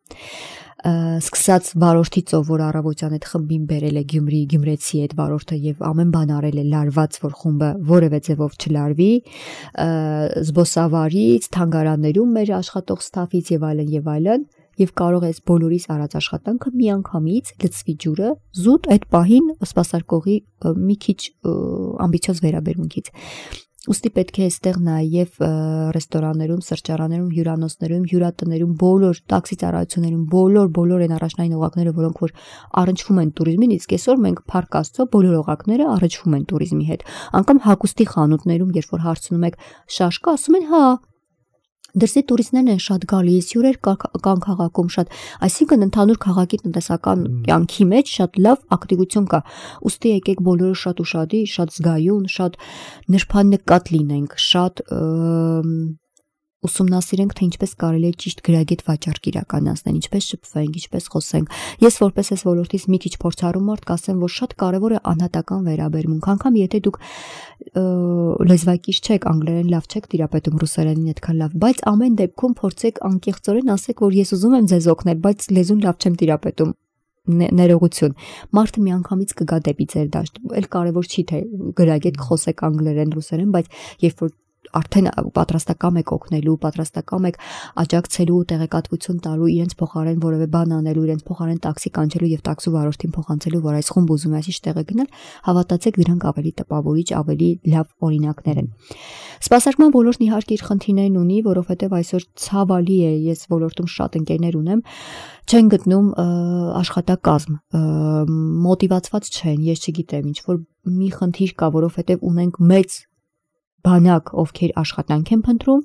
Սկսած վարորդի ծով, որ առավոտյան այդ խմբին բերել է Գյումրի, գյումրեցի այդ վարորդը եւ ամեն բան արել է լարված, որ խումբը որևէ ձևով չլարվի, զբոսավարից, թանգարաններում մեր աշխատող ստաֆից եւ այլն, եւ կարող է այս բոլորիս արած աշխատանքը միանգամից լցվի ջուրը զուտ այդ պահին սպասարկողի մի քիչ ամբիցիոզ վերաբերմունքից։ Ուստի պետք է այստեղ նաև ռեստորաններում, սրճարաններում, հյուրանոցներում, հյուրատներում, բոլոր տաքսի ծառայություններում, բոլոր այն առաջնային օղակները, որոնք որ առնչվում են туриզմին, իսկ այսօր մենք փառք Աստծո բոլոր օղակները առնչվում են туриզմի հետ։ Անկամ հագուստի խանութներում, երբ որ հարցնում եք շաշ կա, ասում են հա։ Դրսի туриստներն են շատ գալիս, հյուրեր կան քաղաքում շատ, այսինքն ընդհանուր քաղաքի տնտեսական կյանքի մեջ շատ լավ ակտիվություն կա։ Ուստի եկեք բոլորը շատ ուշադիր, շատ զգայուն, շատ նրբանկատ լինենք, շատ ուսումնասիրենք, թե ինչպես կարելի է ճիշտ գրագետ վաճառք իրականացնել, ինչպես շփվենք, ինչպես խոսենք։ Ես որպես այս ոլորտից մի քիչ փորձառու մարդ կասեմ, որ շատ կարևոր է անհատական վերաբերմունք, անգամ եթե դուք լեզվակից չեք, անգլերեն լավ չեք տիրապետում, ռուսերենին այդքան լավ, բայց ամեն դեպքում փորձեք անկեղծորեն ասեք, որ ես ուզում եմ ձեզ օգնել, բայց լեզուն լավ չեմ տիրապետում։ Ներողություն։ Մարդը միանգամից կգա դեպի ձեր դաշտ։ Էլ կարևոր չի թե գրագետ խոսեք անգլերեն, ռուսերեն, բայց երբ որ արդեն պատրաստակամ եք օգնելու, պատրաստակամ եք աջակցելու, տեղեկատվություն տալու, իրենց փոխարեն որևէ բան անելու, իրենց փոխարեն տաքսի կանչելու եւ տաքսու վարորդին փոխանցելու, որ այս խումբ ուզում է այսիշ տեղը գնալ, հավատացեք, դրանք ավելի տպավորիչ, ավելի լավ օրինակներ են։ Սպասարկման ոլորտն իհարկե իր խնդիրներն ունի, որովհետեւ այսօր ցավալի է, ես ոլորտում շատ ընկերներ ունեմ, չեն գտնում աշխատակազմ, մոտիվացված չեն, ես չգիտեմ, ինչ որ մի խնդիր կա, որովհետեւ ունենք մեծ բանակ, ովքեր աշխատանք են փնտրում,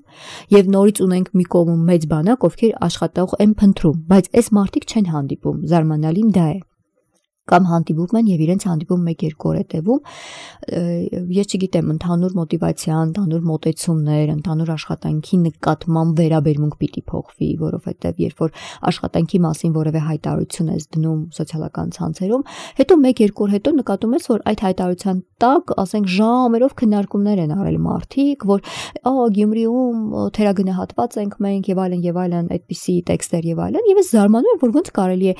եւ նորից ունենք մի կողմում մեծ բանակ, ովքեր աշխատող են փնտրում, բայց այս մարդիկ չեն հանդիպում, զարմանալին դա է։ կամ հանդիպում են եւ իրենց հանդիպում 1-2 օր է տևում, ես չգիտեմ, ընդհանուր մոտիվացիա, ընդհանուր մոտեցումներ, ընդհանուր աշխատանքի նկատմամբ վերաբերմունք պիտի փոխվի, որովհետեւ երբ որ աշխատանքի մասին որևէ հայտարարություն ես դնում սոցիալական ցանցերում, հետո 1-2 օր հետո նկատում ես, որ այդ հայտարարության տակ, ասենք, ժամերով քննարկումներ են արել մարդիկ, որ Գյումրիում թերագնահատված ենք մենք եւ այլն, այդպիսի տեքստեր եւ այլն, եւ ես զարմանում եմ, որ ոնց կարելի է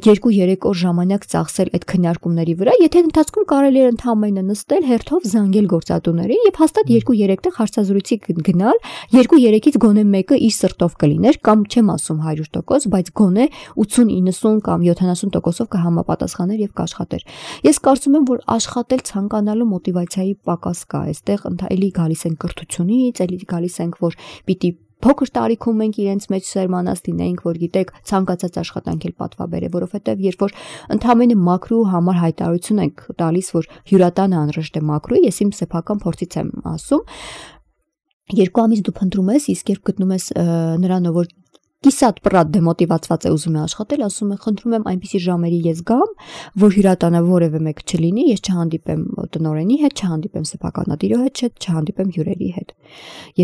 2-3 օր ժամանակ ծախսել այդ քննարկումների վրա, եթե ընթացքում կարելի էր ընդհանրապես նստել հերթով զանգել գործատուներին եւ հաստատ 2-3 տեղ հարցազրույցի գնալ, 2-3-ից գոնե մեկը իր սրտով կլիներ, կամ չեմ ասում 100%, բայց գոնե 80-90 կամ 70%-ով կհամապատասխաներ եւ կաշխատեր։ Ես կարծում եմ, որ աշխատել ցանկանալու մոտիվացիայի պակաս կա, այստեղ էլի գալիս են կրթությունից, էլի գալիս ենք, որ պիտի փոքր տարիքում մենք իրենց մեջ սերմանած լինենք, որ գիտեք, ցանկացած աշխատանք էլ պատվաբեր է, որովհետև երբ որ ընդհանրապես մակրո համար հայտարարություն ենք տալիս, որ հյուրատանը անհրաժեշտ է մակրոյի, ես իմ սեփական փորձից եմ ասում, 2 ամիս դու փնտրում ես, իսկ երբ գտնում ես նրան, որ կիսատ պրատ դեմոտիվացված է ուզում է աշխատել, ասում է, խնդրում եմ այնպիսի ժամերի ես գամ, որ հյուրատանը որևէ մեկ չլինի, ես չհանդիպեմ տնօրենի հետ, չհանդիպեմ սեփականատիրո հետ, չհանդիպեմ հյուրերի հետ։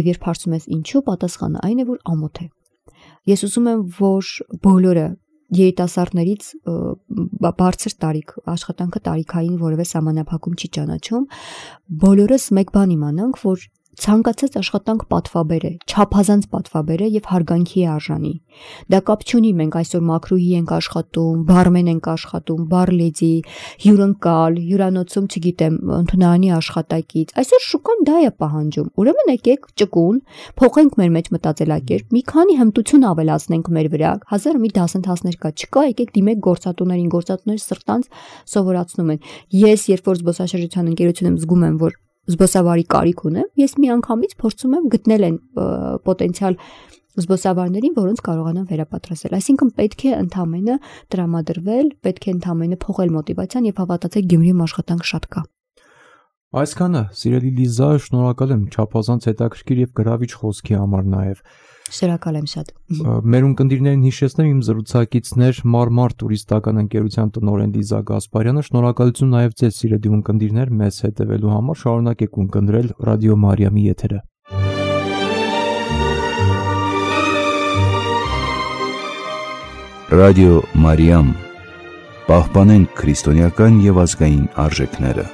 Եվ երբ հարցում ես ինչու, պատասխանը այն է, որ ամոթ է։ Ես ուզում եմ, որ բոլորը երիտասարդներից բարձր տարիք, աշխատանքը տարիքային որևէ սահմանափակում չի ճանաչում, բոլորս մեկ բան իմանանք, որ ցանկացած աշխատանք պատվաբեր է, չափազանց պատվաբեր է եւ հարգանքի է արժանի։ Դա կապ չունի մենք այսօր մակրոյի ենք աշխատում, բարմեն ենք աշխատում, բարլեդի, հյուրընկալ, հյուրանոցում, չգիտեմ, ընդունարանի աշխատակից։ Այսօր շուկան դա է պահանջում։ Ուրեմն եկեք ճկուն, փոխենք մեր մեջ մտածելակերպ, մի քանի հմտություն ավելացնենք մեր վրա։ 1000 մի դասընթացներ կա, չկա, եկեք դիմեք գործատուներին, գործատուները սրտանց սովորացնում են։ Ես երբ որ զբոսաշրջության ընկերություն եմ զգում եմ, որ զբոսավարի կարիք ունեմ, ես միանգամից փորձում եմ գտնել են պոտենցիալ զբոսավարներին, որոնց կարողանամ վերապատրաստել։ Այսինքն պետք է ընդհանրապես տրամադրվել, պետք է ընդհանրապես փոխել մոտիվացիան եւ հավատացեք Գյումրիում աշխատանք շատ կա։ Այսքանը, սիրելի Լիզա, շնորհակալ եմ չափազանց հետաքրքիր եւ գրավիչ խոսքի համար նաեւ։ Շնորհակալ եմ շատ։ Մեր ունկնդիրներին հիշեցնեմ իմ զրուցակիցներ Մարմար տուրիստական ընկերության տնօրեն Լիզա Գասպարյանը, շնորհակալություն նաեւ ձեզ սիրելի ունկնդիրներ մեզ հետևելու համար, շարունակեք ունկնդրել Ռադիո Մարիամի եթերը։ Ռադիո Մարիամ, պահպանենք քրիստոնեական եւ ազգային արժեքները։